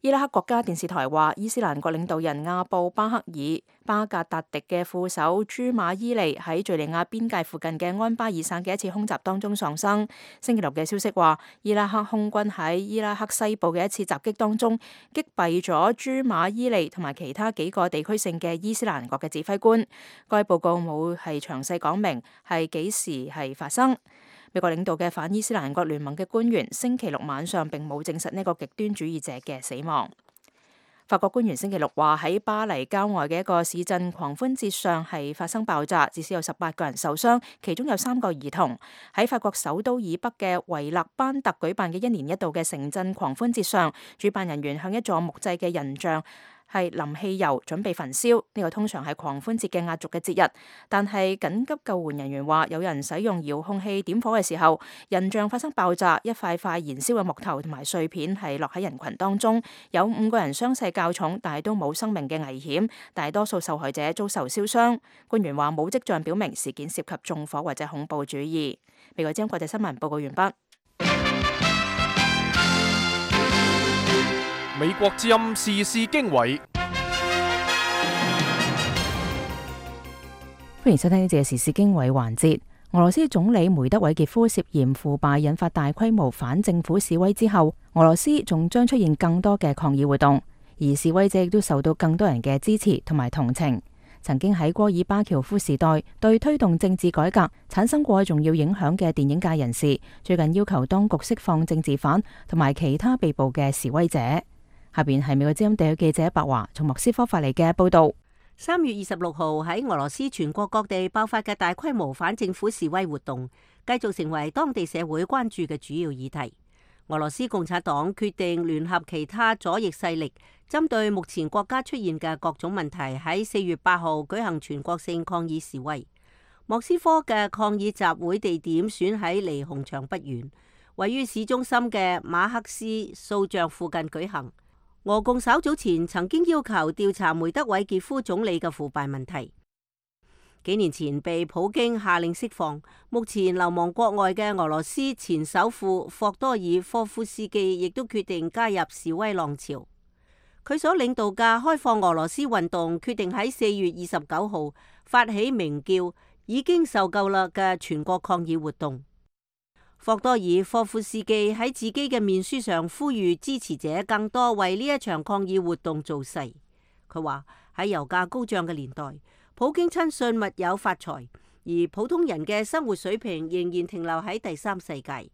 伊拉克國家電視台話，伊斯蘭國領導人阿布巴克爾巴格達迪嘅副手朱馬伊利喺敘利亞邊界附近嘅安巴爾省嘅一次空襲當中喪生。星期六嘅消息話，伊拉克空軍喺伊拉克西部嘅一次襲擊當中擊斃咗朱馬伊利同埋其他幾個地區性嘅伊斯蘭國嘅指揮官。該報告冇係詳細講明係幾時係發生。美國領導嘅反伊斯蘭國聯盟嘅官員星期六晚上並冇證實呢個極端主義者嘅死亡。法國官員星期六話，喺巴黎郊外嘅一個市鎮狂歡節上係發生爆炸，至少有18個人受傷，其中有3個兒童。喺法國首都以北嘅維勒班特舉辦嘅1年1度嘅城鎮狂歡節上，主辦人員向一座木製嘅人像係淋汽油準備焚燒。呢個通常係狂歡節嘅壓軸嘅節日，但係緊急救援人員話，有人使用遙控器點火嘅時候，人像發生爆炸，一塊塊燃燒嘅木頭同埋碎片係落喺人群當中，有5個人傷勢較重，但係都冇生命嘅危險，大多數受害者遭受燒傷。官員話冇跡象表明事件涉及縱火或者恐怖主義。美國之音國際新聞報告完畢。美國之音時事經緯，歡迎收聽呢節嘅時事經緯環節。俄羅斯總理梅德韋傑夫涉嫌腐敗，引發大規模反政府示威之後，俄羅斯仲將出現更多嘅抗議活動，而示威者亦都受到更多人嘅支持同埋同情。曾經喺戈爾巴喬夫時代對推動政治改革產生過重要影響嘅電影界人士，最近要求當局釋放政治犯同埋其他被捕嘅示威者。下邊係美國之音地區記者白華從莫斯科發嚟嘅報道。3月26號喺俄羅斯全國各地爆發嘅大規模反政府示威活動，繼續成為當地社會關注嘅主要議題。俄羅斯共產黨決定聯合其他左翼勢力，針對目前國家出現嘅各種問題，喺4月8號舉行全國性抗議示威。莫斯科嘅抗議集會地點選喺離紅場不遠，位於市中心嘅馬克思塑像附近舉行。俄共稍早前曾經要求調查梅德韋傑夫總理嘅腐敗問題。幾年前被普京下令釋放，目前流亡國外嘅俄羅斯前首富霍多爾科夫斯基亦都決定加入示威浪潮。佢所領導嘅開放俄羅斯運動決定喺4月29號發起名叫已經受夠啦嘅全國抗議活動。霍多爾科夫斯基喺自己嘅面書上呼籲支持者更多為呢一場抗議活動造勢。佢話喺油價高漲嘅年代，普京親信密友發財，而普通人嘅生活水平仍然停留喺第三世界。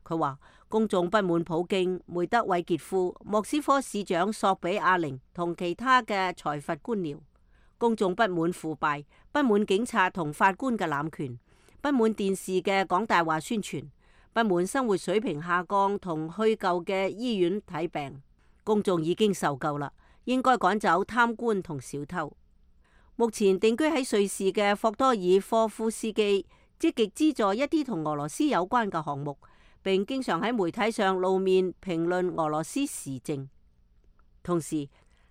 佢話公眾不滿普京、梅德韋傑夫、莫斯科市長索比亞寧同其他嘅財閥官僚，公眾不滿腐敗，不滿警察同法官嘅濫權，不滿電視嘅講大話宣傳，不滿生活水平下降同虛構嘅醫院睇病。公眾已經受夠啦，應該趕走貪官同小偷。目前定居喺瑞士嘅霍多爾科夫斯基積極資助一啲同俄羅斯有關嘅項目，並經常喺媒體上露面評論俄羅斯時政。同時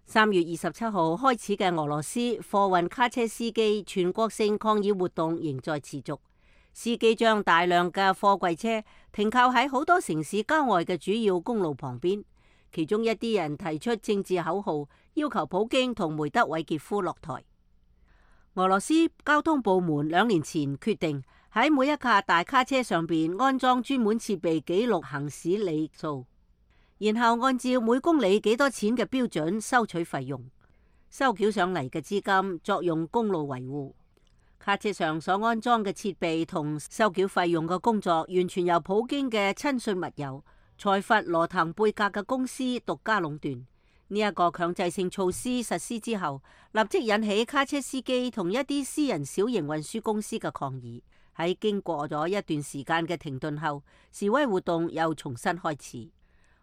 ，3月27號開始嘅俄羅斯貨運卡車司機全國性抗議活動仍在持續。司機將大量嘅貨櫃車停靠喺好多城市郊外嘅主要公路旁邊，其中一啲人提出政治口號，要求普京同梅德韋傑夫落台。俄羅斯交通部門2年前決定喺每一架大卡車上邊安裝專門設備記錄行駛里數，然後按照每公里幾多錢嘅標準收取費用，收繳上嚟嘅資金作用公路維護。卡車上所安裝嘅設備同收繳費用嘅工作，完全由普京嘅親信密友財閥羅騰貝格嘅公司獨家壟斷。呢一個強制性措施實施之後，立即引起卡車司機同一啲私人小型運輸公司嘅抗議。喺經過咗一段時間嘅停頓後，示威活動又重新開始。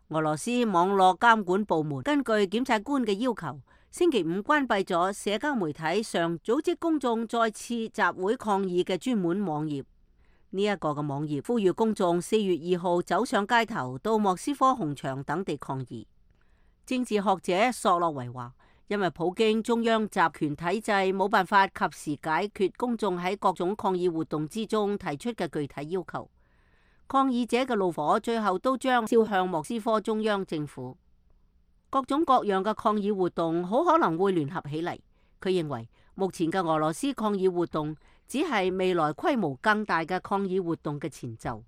俄羅斯網絡監管部門根據檢察官嘅要求，星期5關閉咗社交媒體上組織公眾再次集會抗議嘅專門網頁。呢一個嘅網頁呼籲公眾4月2號走上街頭，到莫斯科紅場等地抗議。政治學者索洛維話，因為普京中央集權體制冇辦法及時解決公眾喺各種抗議活動之中提出嘅具體要求，抗議者嘅怒火最後都將燒向莫斯科中央政府。各種各樣嘅抗議活動好可能會聯合起嚟。佢認為目前嘅俄羅斯抗議活動只係未來規模更大嘅抗議活動嘅前奏。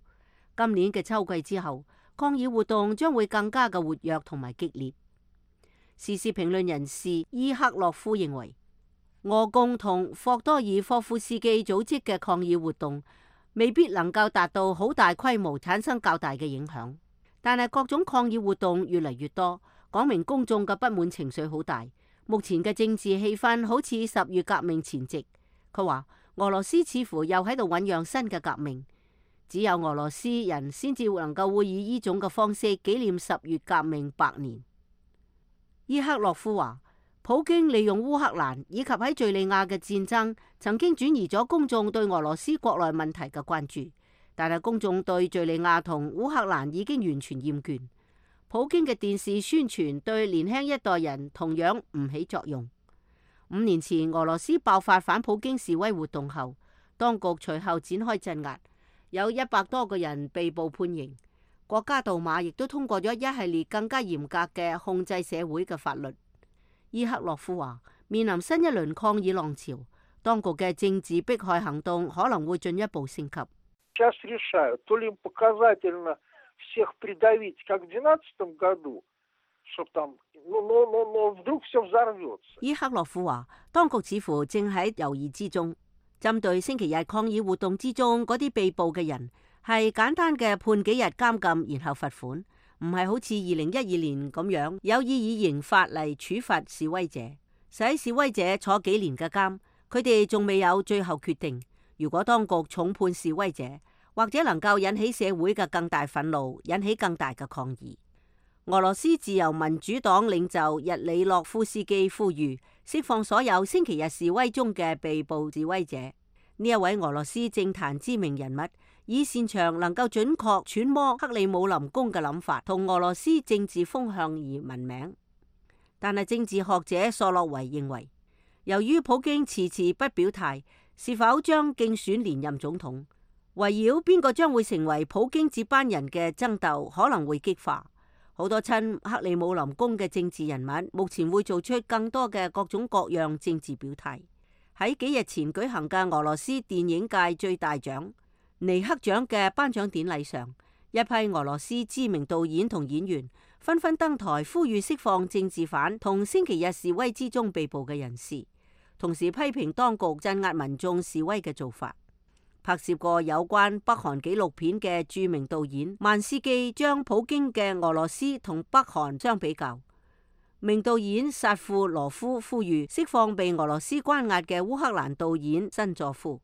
今年嘅秋季之後，抗議活動將會更加嘅活躍同埋激烈。時事評論人士伊克洛夫認為，俄共同霍多爾科夫斯基組織嘅抗議活動未必能夠達到好大規模，產生較大嘅影響。但係各種抗議活動越嚟越多，講明公眾嘅不滿情緒好大。目前嘅政治氣氛好似10月革命前夕。佢話俄羅斯似乎又喺度醞釀新嘅革命。只有俄羅斯人先至能夠會以呢種嘅方式紀念10月革命100年。伊克洛夫話，普京利用烏克蘭以及喺敘利亞嘅戰爭，曾經轉移咗公眾對俄羅斯國內問題嘅關注，但係公眾對敘利亞同烏克蘭已經完全厭倦。普京嘅電視宣傳對年輕一代人同樣唔起作用。5年前俄羅斯爆發反普京示威活動後，當局隨後展開鎮壓。有100多個人被捕判刑，國家杜馬亦都通過咗一系列更加嚴格嘅控制社會嘅法律。伊克洛夫話，面臨新一輪抗議浪潮，當局嘅政治迫害行動可能會進一步升級。伊克洛夫話，當局似乎正喺猶豫之中。針對星期日抗議活動之中嗰啲被捕嘅人，係簡單嘅判幾日監禁，然後罰款，唔係好似2012年咁樣有意以刑法嚟處罰示威者，使示威者坐幾年嘅監。佢哋仲未有最後決定。如果當局重判示威者，或者能夠引起社會嘅更大憤怒，引起更大嘅抗議。俄羅斯自由民主黨領袖日里諾夫斯基呼籲釋放所有星期日示威中嘅被捕示威者。呢一位俄羅斯政壇知名人物，以擅長能夠準確揣摩克里姆林宮嘅諗法同俄羅斯政治風向而聞名。但係政治學者索洛維認為，由於普京遲遲不表態是否將競選連任總統，圍繞邊個將會成為普京接班人嘅爭鬥可能會激化。好多親克里姆林宮嘅政治人物目前會做出更多嘅各種各樣政治表態。喺幾日前舉行嘅俄羅斯電影界最大獎尼克獎嘅頒獎典禮上，一批俄羅斯知名導演同演員紛紛登台呼籲釋放政治犯同星期日示威之中被捕嘅人士，同時批評當局鎮壓民眾示威嘅做法。拍攝過有關北韓紀錄片嘅著名導演曼斯基將普京嘅俄羅斯同北韓相比較。名導演薩庫羅夫呼籲釋放被俄羅斯關押嘅烏克蘭導演申佐夫。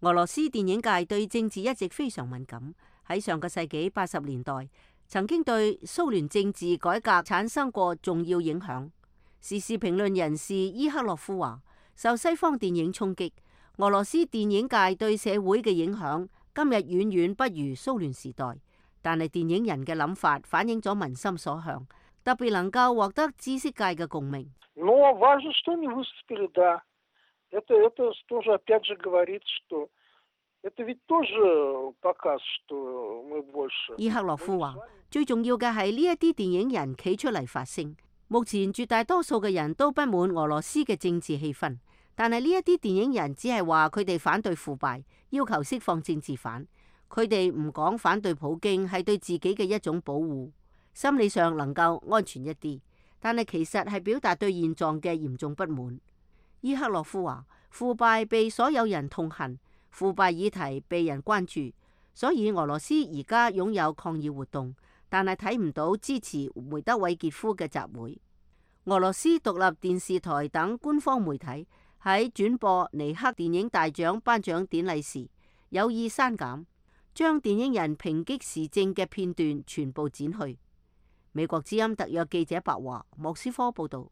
俄羅斯電影界對政治一直非常敏感，喺上個世紀80年代曾經對蘇聯政治改革產生過重要影響。時事評論人士伊克洛夫話，受西方電影衝擊，俄羅斯電影界對社會嘅影響今日遠遠不如蘇聯時代，但係電影人嘅諗法反映咗民心所向，特別能夠獲得知識界嘅共鳴。伊克洛夫話，最重要嘅係呢一啲電影人企出嚟發聲。目前絕大多數嘅人都不滿俄羅斯嘅政治氣氛，但係呢一啲電影人只係話佢哋反對腐敗，要求釋放政治犯。佢哋唔講反對普京係對自己嘅一種保護，心理上能夠安全一啲，但係其實係表達對現狀嘅嚴重不滿。伊克洛夫話，腐敗被所有人痛恨，腐敗議題被人關注，所以俄羅斯而家擁有抗議活動，但係睇唔到支持梅德韋傑夫嘅集會。俄羅斯獨立電視台等官方媒體喺轉播尼克電影大獎頒獎典禮時，有意刪減，將電影人抨擊時政嘅片段全部剪去。美國之音特約記者白華，莫斯科報道。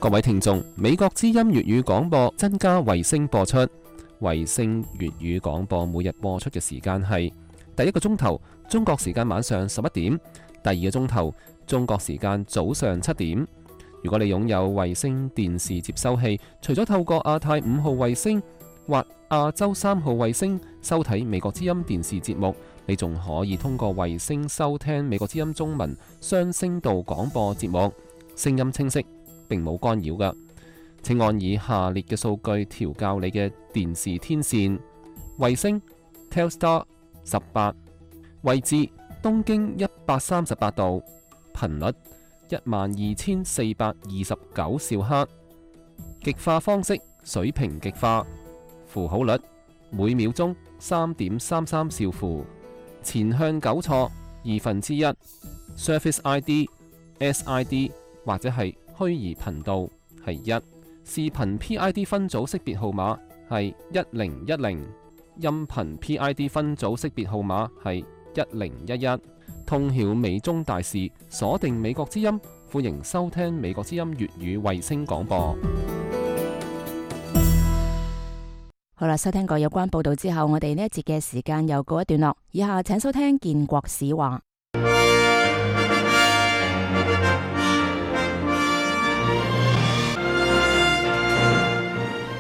各位聽眾，美國之音粵語廣播增加衛星播出。衛星粵語廣播每日播出嘅時間係第一個鐘頭中國時間晚上11點，第二個鐘頭中國時間早上7點。如果你擁有衛星電視接收器，除咗透過亞太5號衛星或亞洲3號衛星收睇美國之音電視節目，你仲可以通過衛星收聽美國之音中文雙聲道廣播節目，聲音清晰，並冇干擾㗎。請按以下列嘅數據調校你嘅電視天線：衛星 Telstar 18，位置東經138度，頻率12429兆赫，極化方式水平極化，符號率每秒鐘3.33兆符，前向糾錯1/2， Surface ID、SID 或者係虛擬頻道係1，視頻 PID 分組識別號碼係1010，音頻 PID 分組識別號碼係1011。通曉美中大事，鎖定美國之音，歡迎收聽美國之音粵語衛星廣播。好啦，收聽過有關報道之後，我哋呢一節嘅時間又告一段落。以下請收聽建國史話。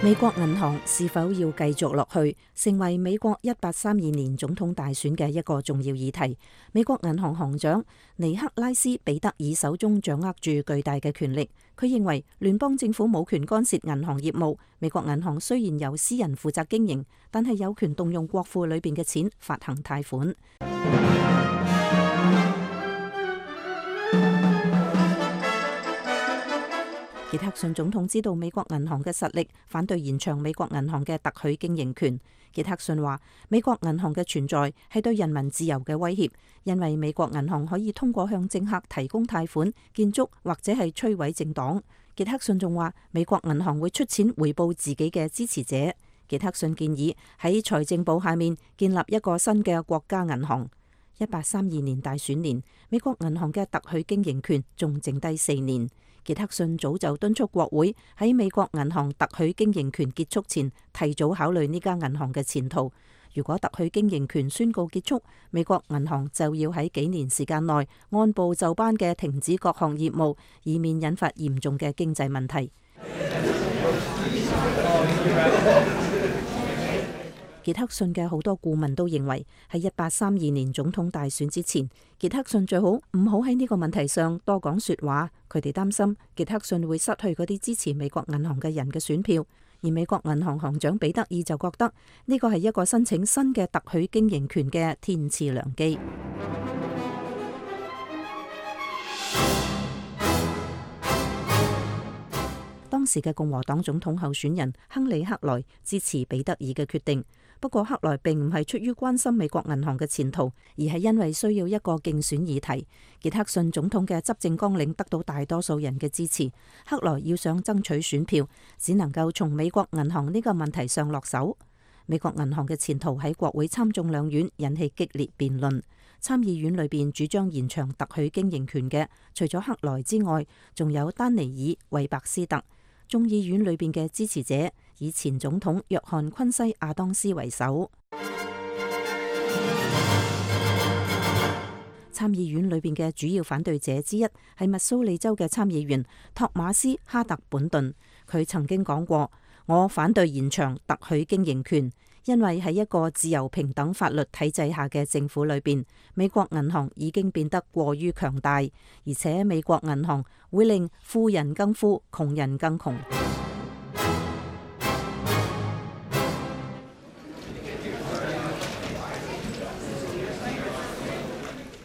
美國銀行是否要繼續落去，成為美國1832年總統大選嘅一個重要議題。美國銀行行長尼克拉斯彼得爾手中掌握住巨大嘅權力，佢認為聯邦政府冇權干涉銀行業務。美國銀行雖然由私人負責經營，但係有權動用國庫裏邊嘅錢發行貸款。傑克遜總統知道美國銀行嘅實力，反對延長美國銀行嘅特許經營權。傑克遜話：美國銀行嘅存在係對人民自由嘅威脅，因為美國銀行可以通過向政客提供貸款、建築或者係摧毀政黨。傑克遜仲話：美國銀行會出錢回報自己嘅支持者。傑克遜建議喺財政部下面建立一個新嘅國家銀行。1832年大選年，美國銀行嘅特許經營權仲剩低4年。傑克遜早就敦促國會喺美國銀行特許經營權結束前提早考慮呢間銀行嘅前途。如果特許經營權宣告結束，美國銀行就要喺幾年時間內按部就班嘅停止各項業務，以免引發嚴重嘅經濟問題。傑克遜嘅好多顧問都認為，喺1832年總統大選之前，傑克遜最好唔好喺呢個問題上多講說話。佢哋擔心傑克遜會失去嗰啲支持美國銀行嘅人嘅選票，而美國銀行行長彼得爾就覺得呢個係一個申請新嘅特許經營權嘅天賜良機。當時嘅共和黨總統候選人亨利·克萊支持彼得爾嘅決定，不過克萊並唔係出於關心美國銀行嘅前途，而係因為需要一個競選議題。傑克遜總統嘅執政綱領得到大多數人嘅支持，克萊要想爭取選票，只能夠從美國銀行呢個問題上落手。美國銀行嘅前途喺國會參眾兩院引起激烈辯論。參議院裏邊主張延長特許經營權嘅，除咗克萊之外，仲有丹尼爾·韋伯斯特。眾議院裏邊嘅支持者以前總統約翰昆西亞當斯為首。參議院裏邊嘅主要反對者之一係密蘇里州嘅參議員托馬斯哈特本頓，佢曾經講過：我反對延長特許經營權，因為喺一個自由平等法律體制下嘅政府裏邊，美國銀行已經變得過於強大，而且美國銀行會令富人更富，窮人更窮。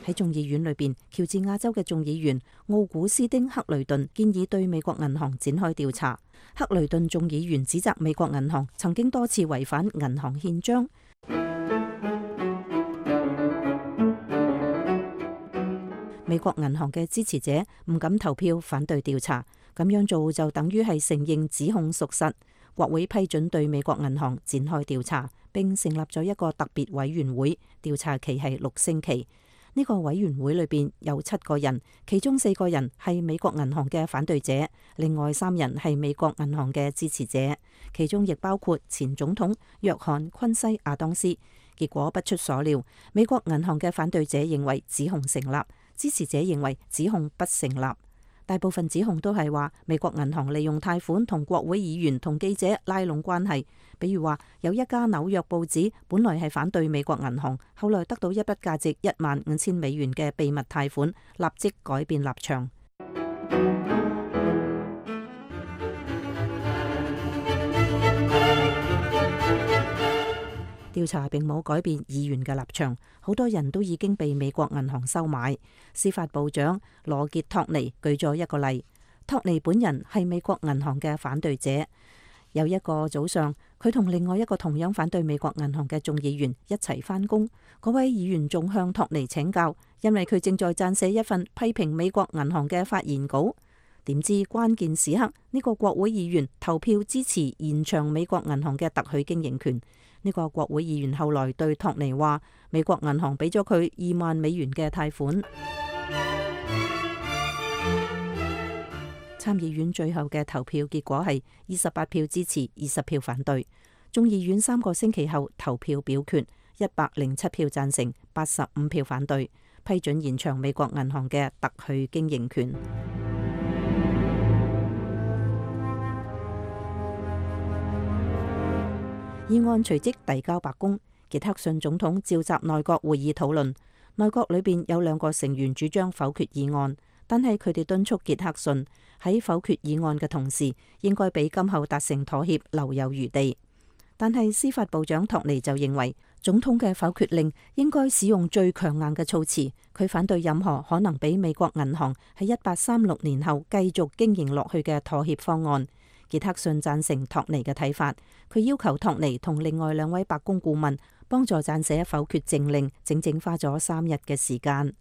喺眾議院裏邊，喬治亞州嘅眾議員奧古斯丁·克雷頓建議對美國銀行展開調查。克雷頓眾議員指責美國銀行曾經多次違反銀行憲章。美國銀行嘅支持者唔敢投票反對調查，咁樣做就等於係承認指控屬實。國會批准對美國銀行展開調查，並成立咗一個特別委員會，調查期係6星期。呢個委員會裏邊有7個人，其中4個人係美國銀行嘅反對者，另外3人係美國銀行嘅支持者，其中亦包括前總統約翰昆西亞當斯。結果不出所料，美國銀行嘅反對者認為指控成立，支持者認為指控不成立。大部分指控都係話美國銀行利用貸款同國會議員同記者拉攏關係。比如話有一家紐約報紙本來係反對美國銀行，後來得到一筆價值$15,000嘅秘密貸款，立即改變立場。調查並冇改變議員嘅立場，好多人都已經被美國銀行收買。司法部長羅傑托尼舉咗一個例，托尼本人係美國銀行嘅反對者。有一個早上，佢同另外一個同樣反對美國銀行嘅眾議員一齊返工，嗰位議員仲向托尼請教，因為佢正在撰寫一份批評美國銀行嘅發言稿。點知關鍵時刻，呢個國會議員投票支持延長美國銀行嘅特許經營權。呢個國會議員後來對托尼話，美國銀行俾咗佢$20,000嘅貸款。參議院最後嘅投票結果係28票支持，20票反對。眾議院3個星期後投票表決，107票贊成，85票反對，批准延長美國銀行嘅特許經營權。議案隨即遞交白宮，傑克遜總統召集內閣會議討論。內閣裏邊有2個成員主張否決議案，但係佢哋敦促傑克遜喺否決議案嘅同時，應該俾今後達成妥協留有餘地。但係司法部長托尼就認為，總統嘅否決令應該使用最強硬嘅措辭。佢反對任何可能俾美國銀行喺1836年後繼續經營落去嘅妥協方案。傑克遜贊成托尼嘅睇法，佢要求托尼同另外2位白宮顧問幫助撰寫否決政令，整整花咗3日嘅時間。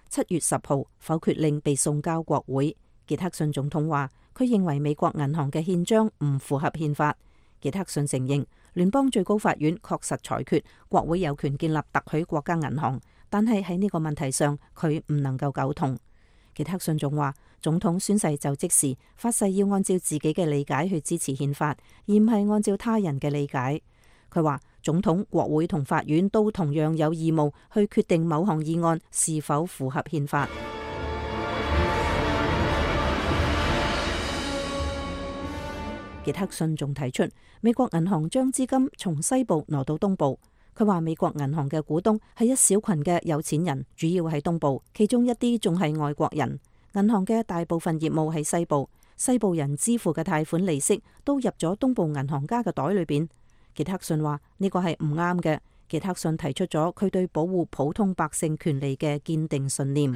7月10號，否決令被送交國會。傑克遜總統話，佢認為美國銀行嘅憲章唔符合憲法。傑克遜承認聯邦最高法院確實裁決國會有權建立特許國家銀行，但係喺呢個問題上佢唔能夠苟同。傑克遜仲話，總統宣誓就職時發誓要按照自己嘅理解去支持憲法，而唔係按照他人嘅理解。佢話總統、國會同法院都同樣有義務去決定某項議案是否符合憲法。傑克遜仲提出，美國銀行將資金從西部挪到東部。佢話美國銀行嘅股東係一小群嘅有錢人，主要喺東部，其中一啲仲係外國人。銀行嘅大部分業務喺西部，西部人支付嘅貸款利息都入咗東部銀行家嘅袋裏邊。傑克遜話呢個係唔啱嘅。傑克遜提出咗佢對保護普通百姓權利嘅堅定信念。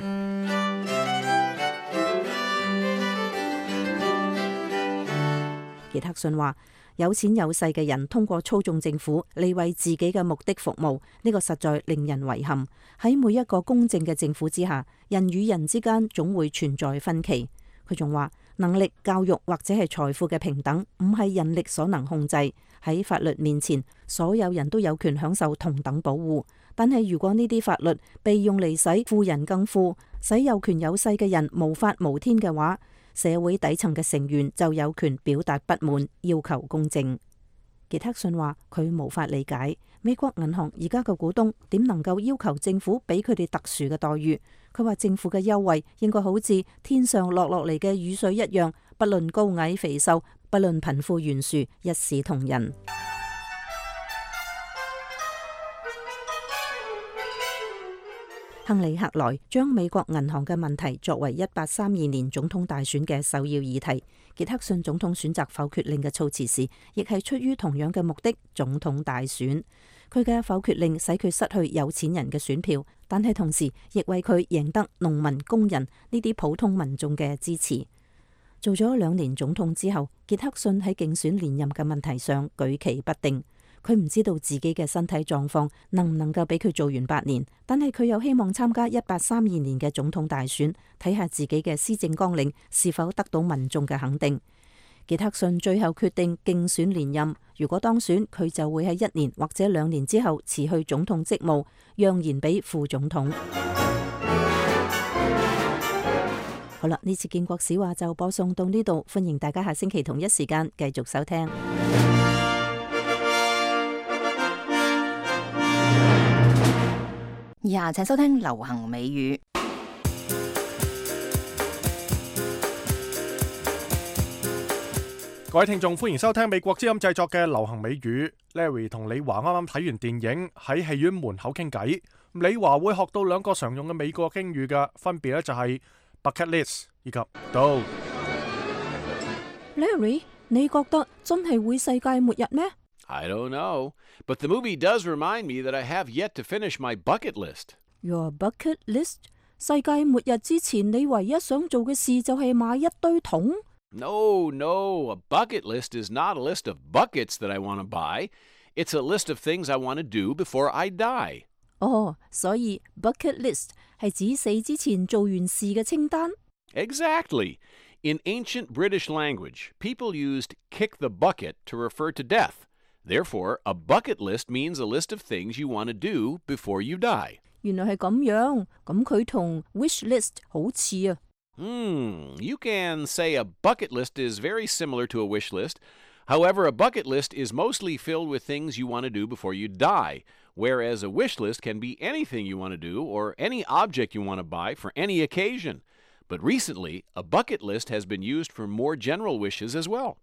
傑克遜話，有錢有勢嘅人通過操縱政府嚟為自己嘅目的服務，呢個實在令人遺憾。喺每一個公正嘅政府之下，人與人之間總會存在分歧。佢仲話，能力、教育或者係財富嘅平等唔係人力所能控制。喺法律面前，所有人都有權享受同等保護。但係如果呢啲法律被用嚟使富人更富，使有權有勢嘅人無法無天嘅話，社會底層嘅成員就有權表達不滿，要求公正。傑克遜話佢無法理解美國銀行而家嘅股東點能夠要求政府俾佢哋特殊嘅待遇。佢話政府嘅優惠應該好似天上落嚟嘅雨水一樣，不論高矮肥瘦，不論貧富懸殊，一視同仁。亨利·克萊將美國銀行嘅問題作為1832年總統大選嘅首要議題。傑克遜總統選擇否決令嘅措辭時，亦係出於同樣嘅目的——總統大選。佢嘅否決令使佢失去有錢人嘅選票，但係同時亦為佢贏得農民、工人呢啲普通民眾嘅支持。做咗2年總統之後，傑克遜喺競選連任嘅問題上舉棋不定。佢唔知道自己嘅身體狀況能唔能夠俾佢做完8年，但係佢又希望參加1832年嘅總統大選，睇下自己嘅施政綱領是否得到民眾嘅肯定。傑克遜最後決定競選連任，如果當選，佢就會喺1年或者2年之後辭去總統職務，讓賢俾副總統。好啦，呢次建國史話就播送到呢度，歡迎大家下星期同一時間繼續收聽。以下請收聽流行美語。各位聽眾，歡迎收聽美國之音製作嘅流行美語。Larry 同李華啱啱睇完電影，喺戲院門口傾偈。李華會學到兩個常用嘅美國英語嘅，分別咧就係 bucket list 以及 do。Larry， 你覺得真係會世界末日咩？ I don't know, but the movie does remind me that I have yet to finish my bucket list. Your bucket list？ 世界末日之前，你唯一想做嘅事就係買一堆桶No, a bucket list is not a list of buckets that I want to buy. It's a list of things I want to do before I die. 所以 bucket list 係指死之前做完事嘅清單。Exactly. In ancient British language, people used kick the bucket to refer to death. Therefore, a bucket list means a list of things you want to do before you die. 原來係咁樣，咁佢同 wish list 好似啊。You can say a bucket list is very similar to a wish list. However, a bucket list is mostly filled with things you want to do before you die, whereas a wish list can be anything you want to do or any object you want to buy for any occasion. But recently, a bucket list has been used for more general wishes as well.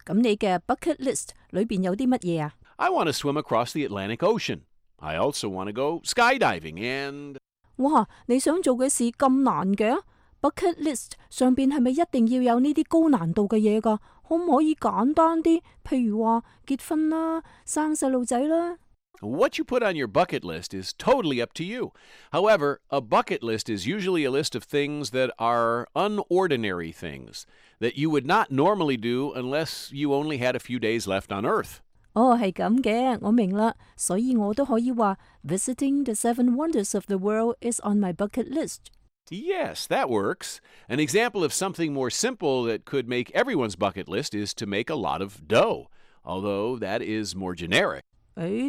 咁你嘅 bucket list 裏邊有啲乜嘢啊？ I want to swim across the Atlantic Ocean. I also want to go skydiving and... 哇，你想做嘅事咁難嘅？ bucket list 上邊係咪一定要有呢啲高難度嘅嘢㗎？可唔可以簡單啲？譬如話結婚啦、生細路仔啦。What you put on your bucket list is totally up to you. However, a bucket list is usually a list of things that are unordinary things that you would not normally do unless you only had a few days left on Earth. 係咁嘅，我明啦，所以我都可以話 Visiting the Seven Wonders of the World is on my bucket list. Yes, that works. An example of something more simple that could make everyone's bucket list is to make a lot of dough, although that is more generic.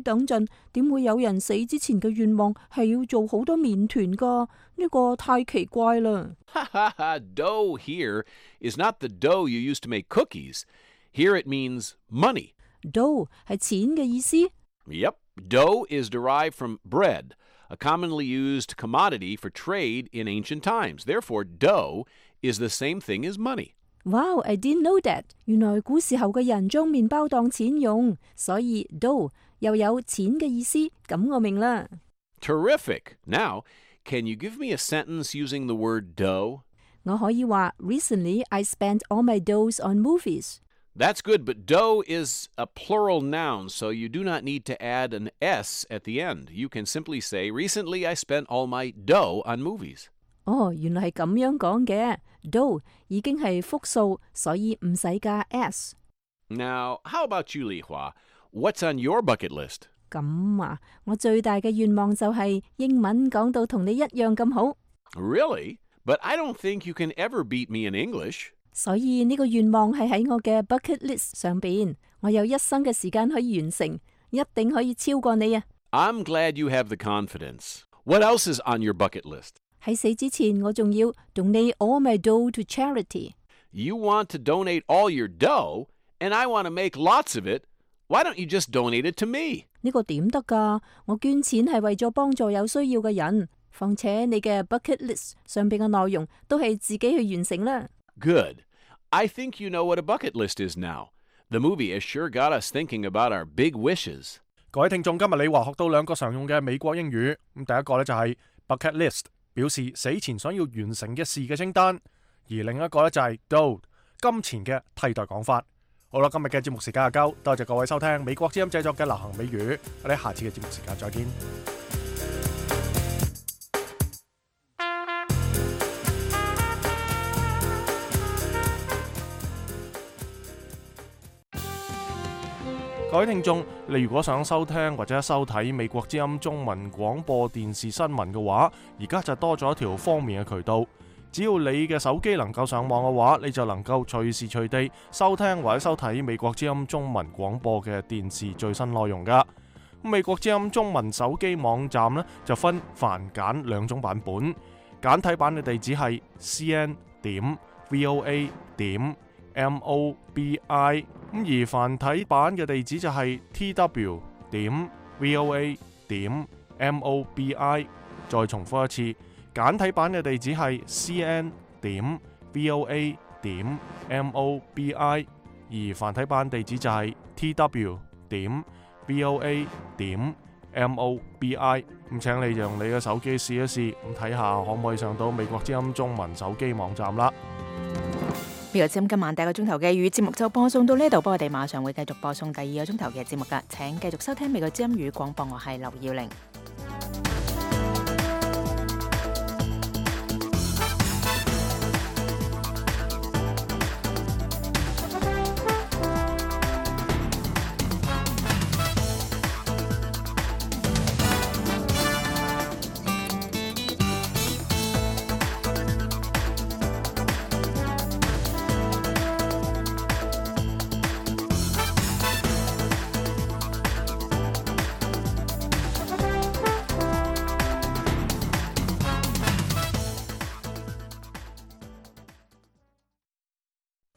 等陣，點會有人死之前嘅願望係要做好多麵團㗎？呢個太奇怪啦。Dough here is not the dough you use to make cookies. Here it means money. Dough 係錢嘅意思。Yep, dough is derived from bread, a commonly used commodity for trade in ancient times. Therefore, dough is the same thing as money. Wow, I didn't know that. 原來古時候嘅人將麵包當錢用，所以 dough 又有錢嘅意思，咁我明啦。Terrific. Now, can you give me a sentence using the word dough? 我可以話 Recently, I spent all my doughs on movies. That's good, but dough is a plural noun, so you do not need to add an S at the end. You can simply say, Recently, I spent all my dough on movies. 原來係咁樣講嘅。dough 已經係複數，所以唔使加 s。Now, how about you, Li Hua? What's on your bucket list? 咁啊，我最大嘅願望就係英文講到同你一樣咁好。Really? But I don't think you can ever beat me in English. 所以呢個願望係喺我嘅 bucket list 上邊，我有一生嘅時間可以完成，一定可以超過你啊！ I'm glad you have the confidence. What else is on your bucket list? 喺死之前，我仲要 donate all my dough to charity. You want to donate all your dough, and I want to make lots of it. Why don't you just donate it to me? 呢個點得㗎？我捐錢係為咗幫助有需要嘅人，況且你嘅 bucket list 上邊嘅內容都係自己去完成啦。Good. I think you know what a bucket list is now. The movie has sure got us thinking about our big wishes. 各位聽眾，今日李華學到兩個常用嘅美國英語。第一個呢就係 bucket list，表示死前想要完成嘅事嘅清單；而另一個呢就係 dough，金錢嘅替代講法。好啦，今日嘅節目時間就夠，多謝各位收聽美國之音製作嘅流行美語。我哋下次嘅節目時間再見。各位聽眾，你如果想收聽或者收睇美國之音中文廣播電視新聞嘅話，而家就多咗一條方便嘅渠道。只要你嘅手機能夠上網嘅話，你就能夠隨時隨地收聽或者收睇美國之音中文廣播嘅電視最新內容㗎。美國之音中文手機網站呢，就分繁簡兩種版本，簡體版嘅地址係 cn.voa.mobi， 而繁體版嘅地址就係 tw.voa.mobi。 再重複一次，簡體版嘅地址係 cn.voa.mobi， 而而繁體版地址就係 tw.voa.mobi。咁請你用你嘅手機試一試，咁睇下可唔可以上到美國之音中文手機網站啦。美國之音今晚第一個鐘頭嘅粵語節目就播送到呢度，不過我哋馬上會繼續播送第二個鐘頭嘅節目㗎。請繼續收聽美國之音語廣播，我係劉耀玲。